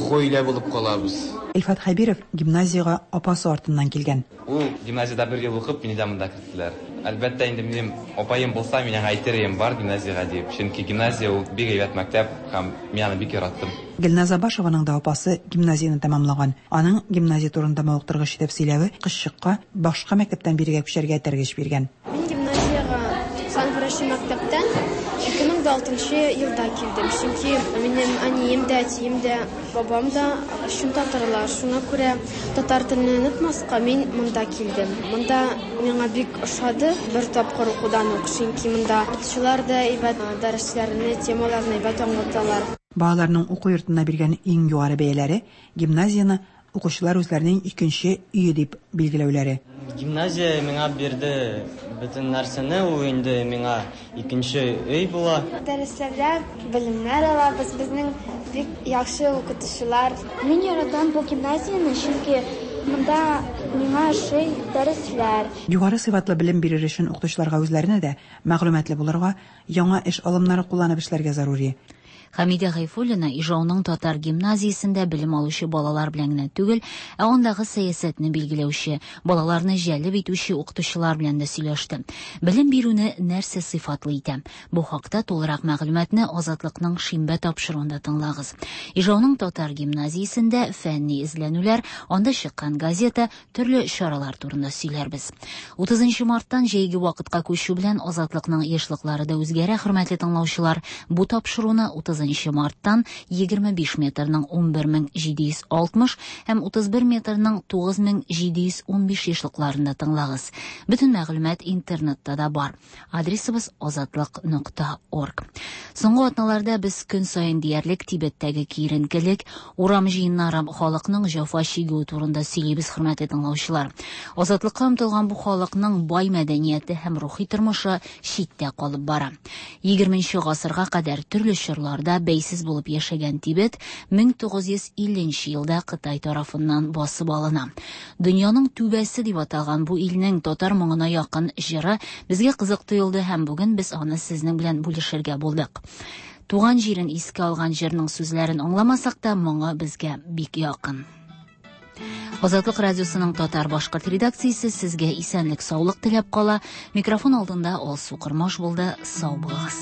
гаилә булып калабыз. Илфат Хәбиров гимназиягә апасы артыннан килгән. Ул гимназиядә бер ел укып, мине дә монда керттеләр. Әлбәттә инде, минем апаем булса, мин аңа әйтер идем, бар гимназиягә дип. Чөнки гимназия ул бик әйбәт мәктәп һәм мин аны бик яраттым. Гөлназ Абашеваның да апасы гимназияне тәмамлаган. Аның гимназия турында мавыктыргыч итеп сөйләве кызчыкка башка мәктәптән бирегә күчәргә этәргеч биргән. Мин гимназиягә 91 нче мәктәптән 2006 нчы елда килдем, чөнки минем әнием дә, әтием дә, Бабам да чын татарлар, шуңа күрә татар телне онытмаска мин монда килдем. Монда миңа бик ошады бер тапкыр укудан ук, чөнки монда укытучылар да әйбәт, дәресләрне, темаларны әйбәт аңлаталар. Балаларның уку йортына биргән иң югары бәяләре, гимназияне укучылар үзләренең икенче өе дип билгеләүләре. Гимназия миңа бирде бөтен нәрсәне, ул инде миңа икенче өй була. Дәресләрдә белемнәр алабыз, безнең бик яхшы укытучылар. Мин яратам бу гимназияне, чөнки монда миңа ошый дәресләр. Югары сыйфатлы белем бирер өчен укытучыларга үзләренә дә мәгълүматлы булырга, яңа эш алымнары кулланып эшләргә зарури. Хәмидә Гайфуллина Ижауның татар гимназиясендә белем алучы балалар белән генә түгел, ә андагы сәясәтне билгеләүче, балаларны җәлеп итүче укытучылар белән дә сөйләште. Белем бирүне нәрсә сыйфатлы итә? Бу хакта тулырак мәгълүматны Азатлыкның шимбә тапшыруында тыңлагыз. Ижауның татар гимназиясендә фәнни эзләнүләр, анда чыккан газета, төрле чаралар турында сөйләрбез. 30 марттан җәйге вакытка күчү белән Азатлыкның ешлыклары да үзгәрә, хөрмәтле тыңлаучылар. Бу тапшыруны 30 марттан 25 метрның 11760 һәм 31 метрның 9715 ешлыкларында тыңлагыз. Бөтен мәгълүмат интернетта да бар. Адресыбыз азатлык.орг. Соңгы атналарда без көн саен диярлек Тибеттәге киеренкелек, урам җыеннары, халыкның җәфа чигүе турында сөйлибез, хөрмәтле тыңлаучылар. Азатлыкка омтылган бу халыкның бай мәдәнияте һәм рухи тормышы читтә калып бара. 20 гасырга кадәр төрле чорларда бәйсез булып яшәгән Тибет 1950 нче елда Кытай тарафыннан басып алына. Дөньяның түбәсе дип аталган бу илнең татар моңына якын җыры безгә кызык тоелды һәм бүген без аны сезнең белән бүлешергә булдык. Туган җирен искә алган җырның сүзләрен аңламасак та, моңы безгә бик якын. Азатлык радиосының татар-башкорт редакциясе сезгә исәнлек, саулык теләп кала. Микрофон алдында Алсу Кормаш булды. Сау булыгыз.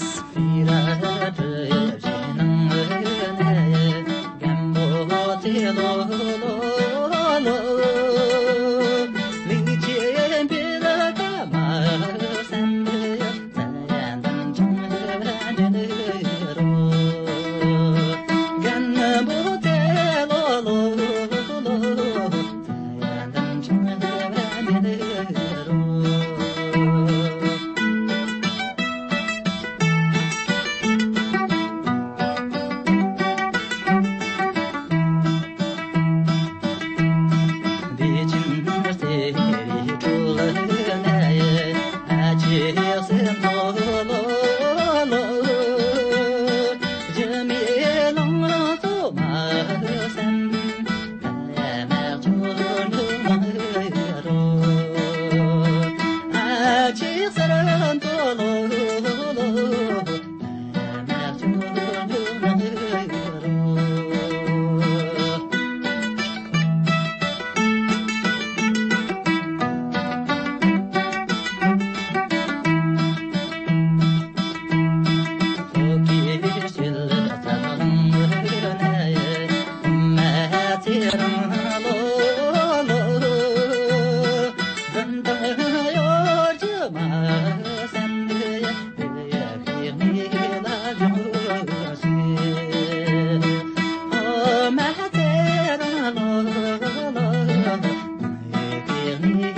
Верный.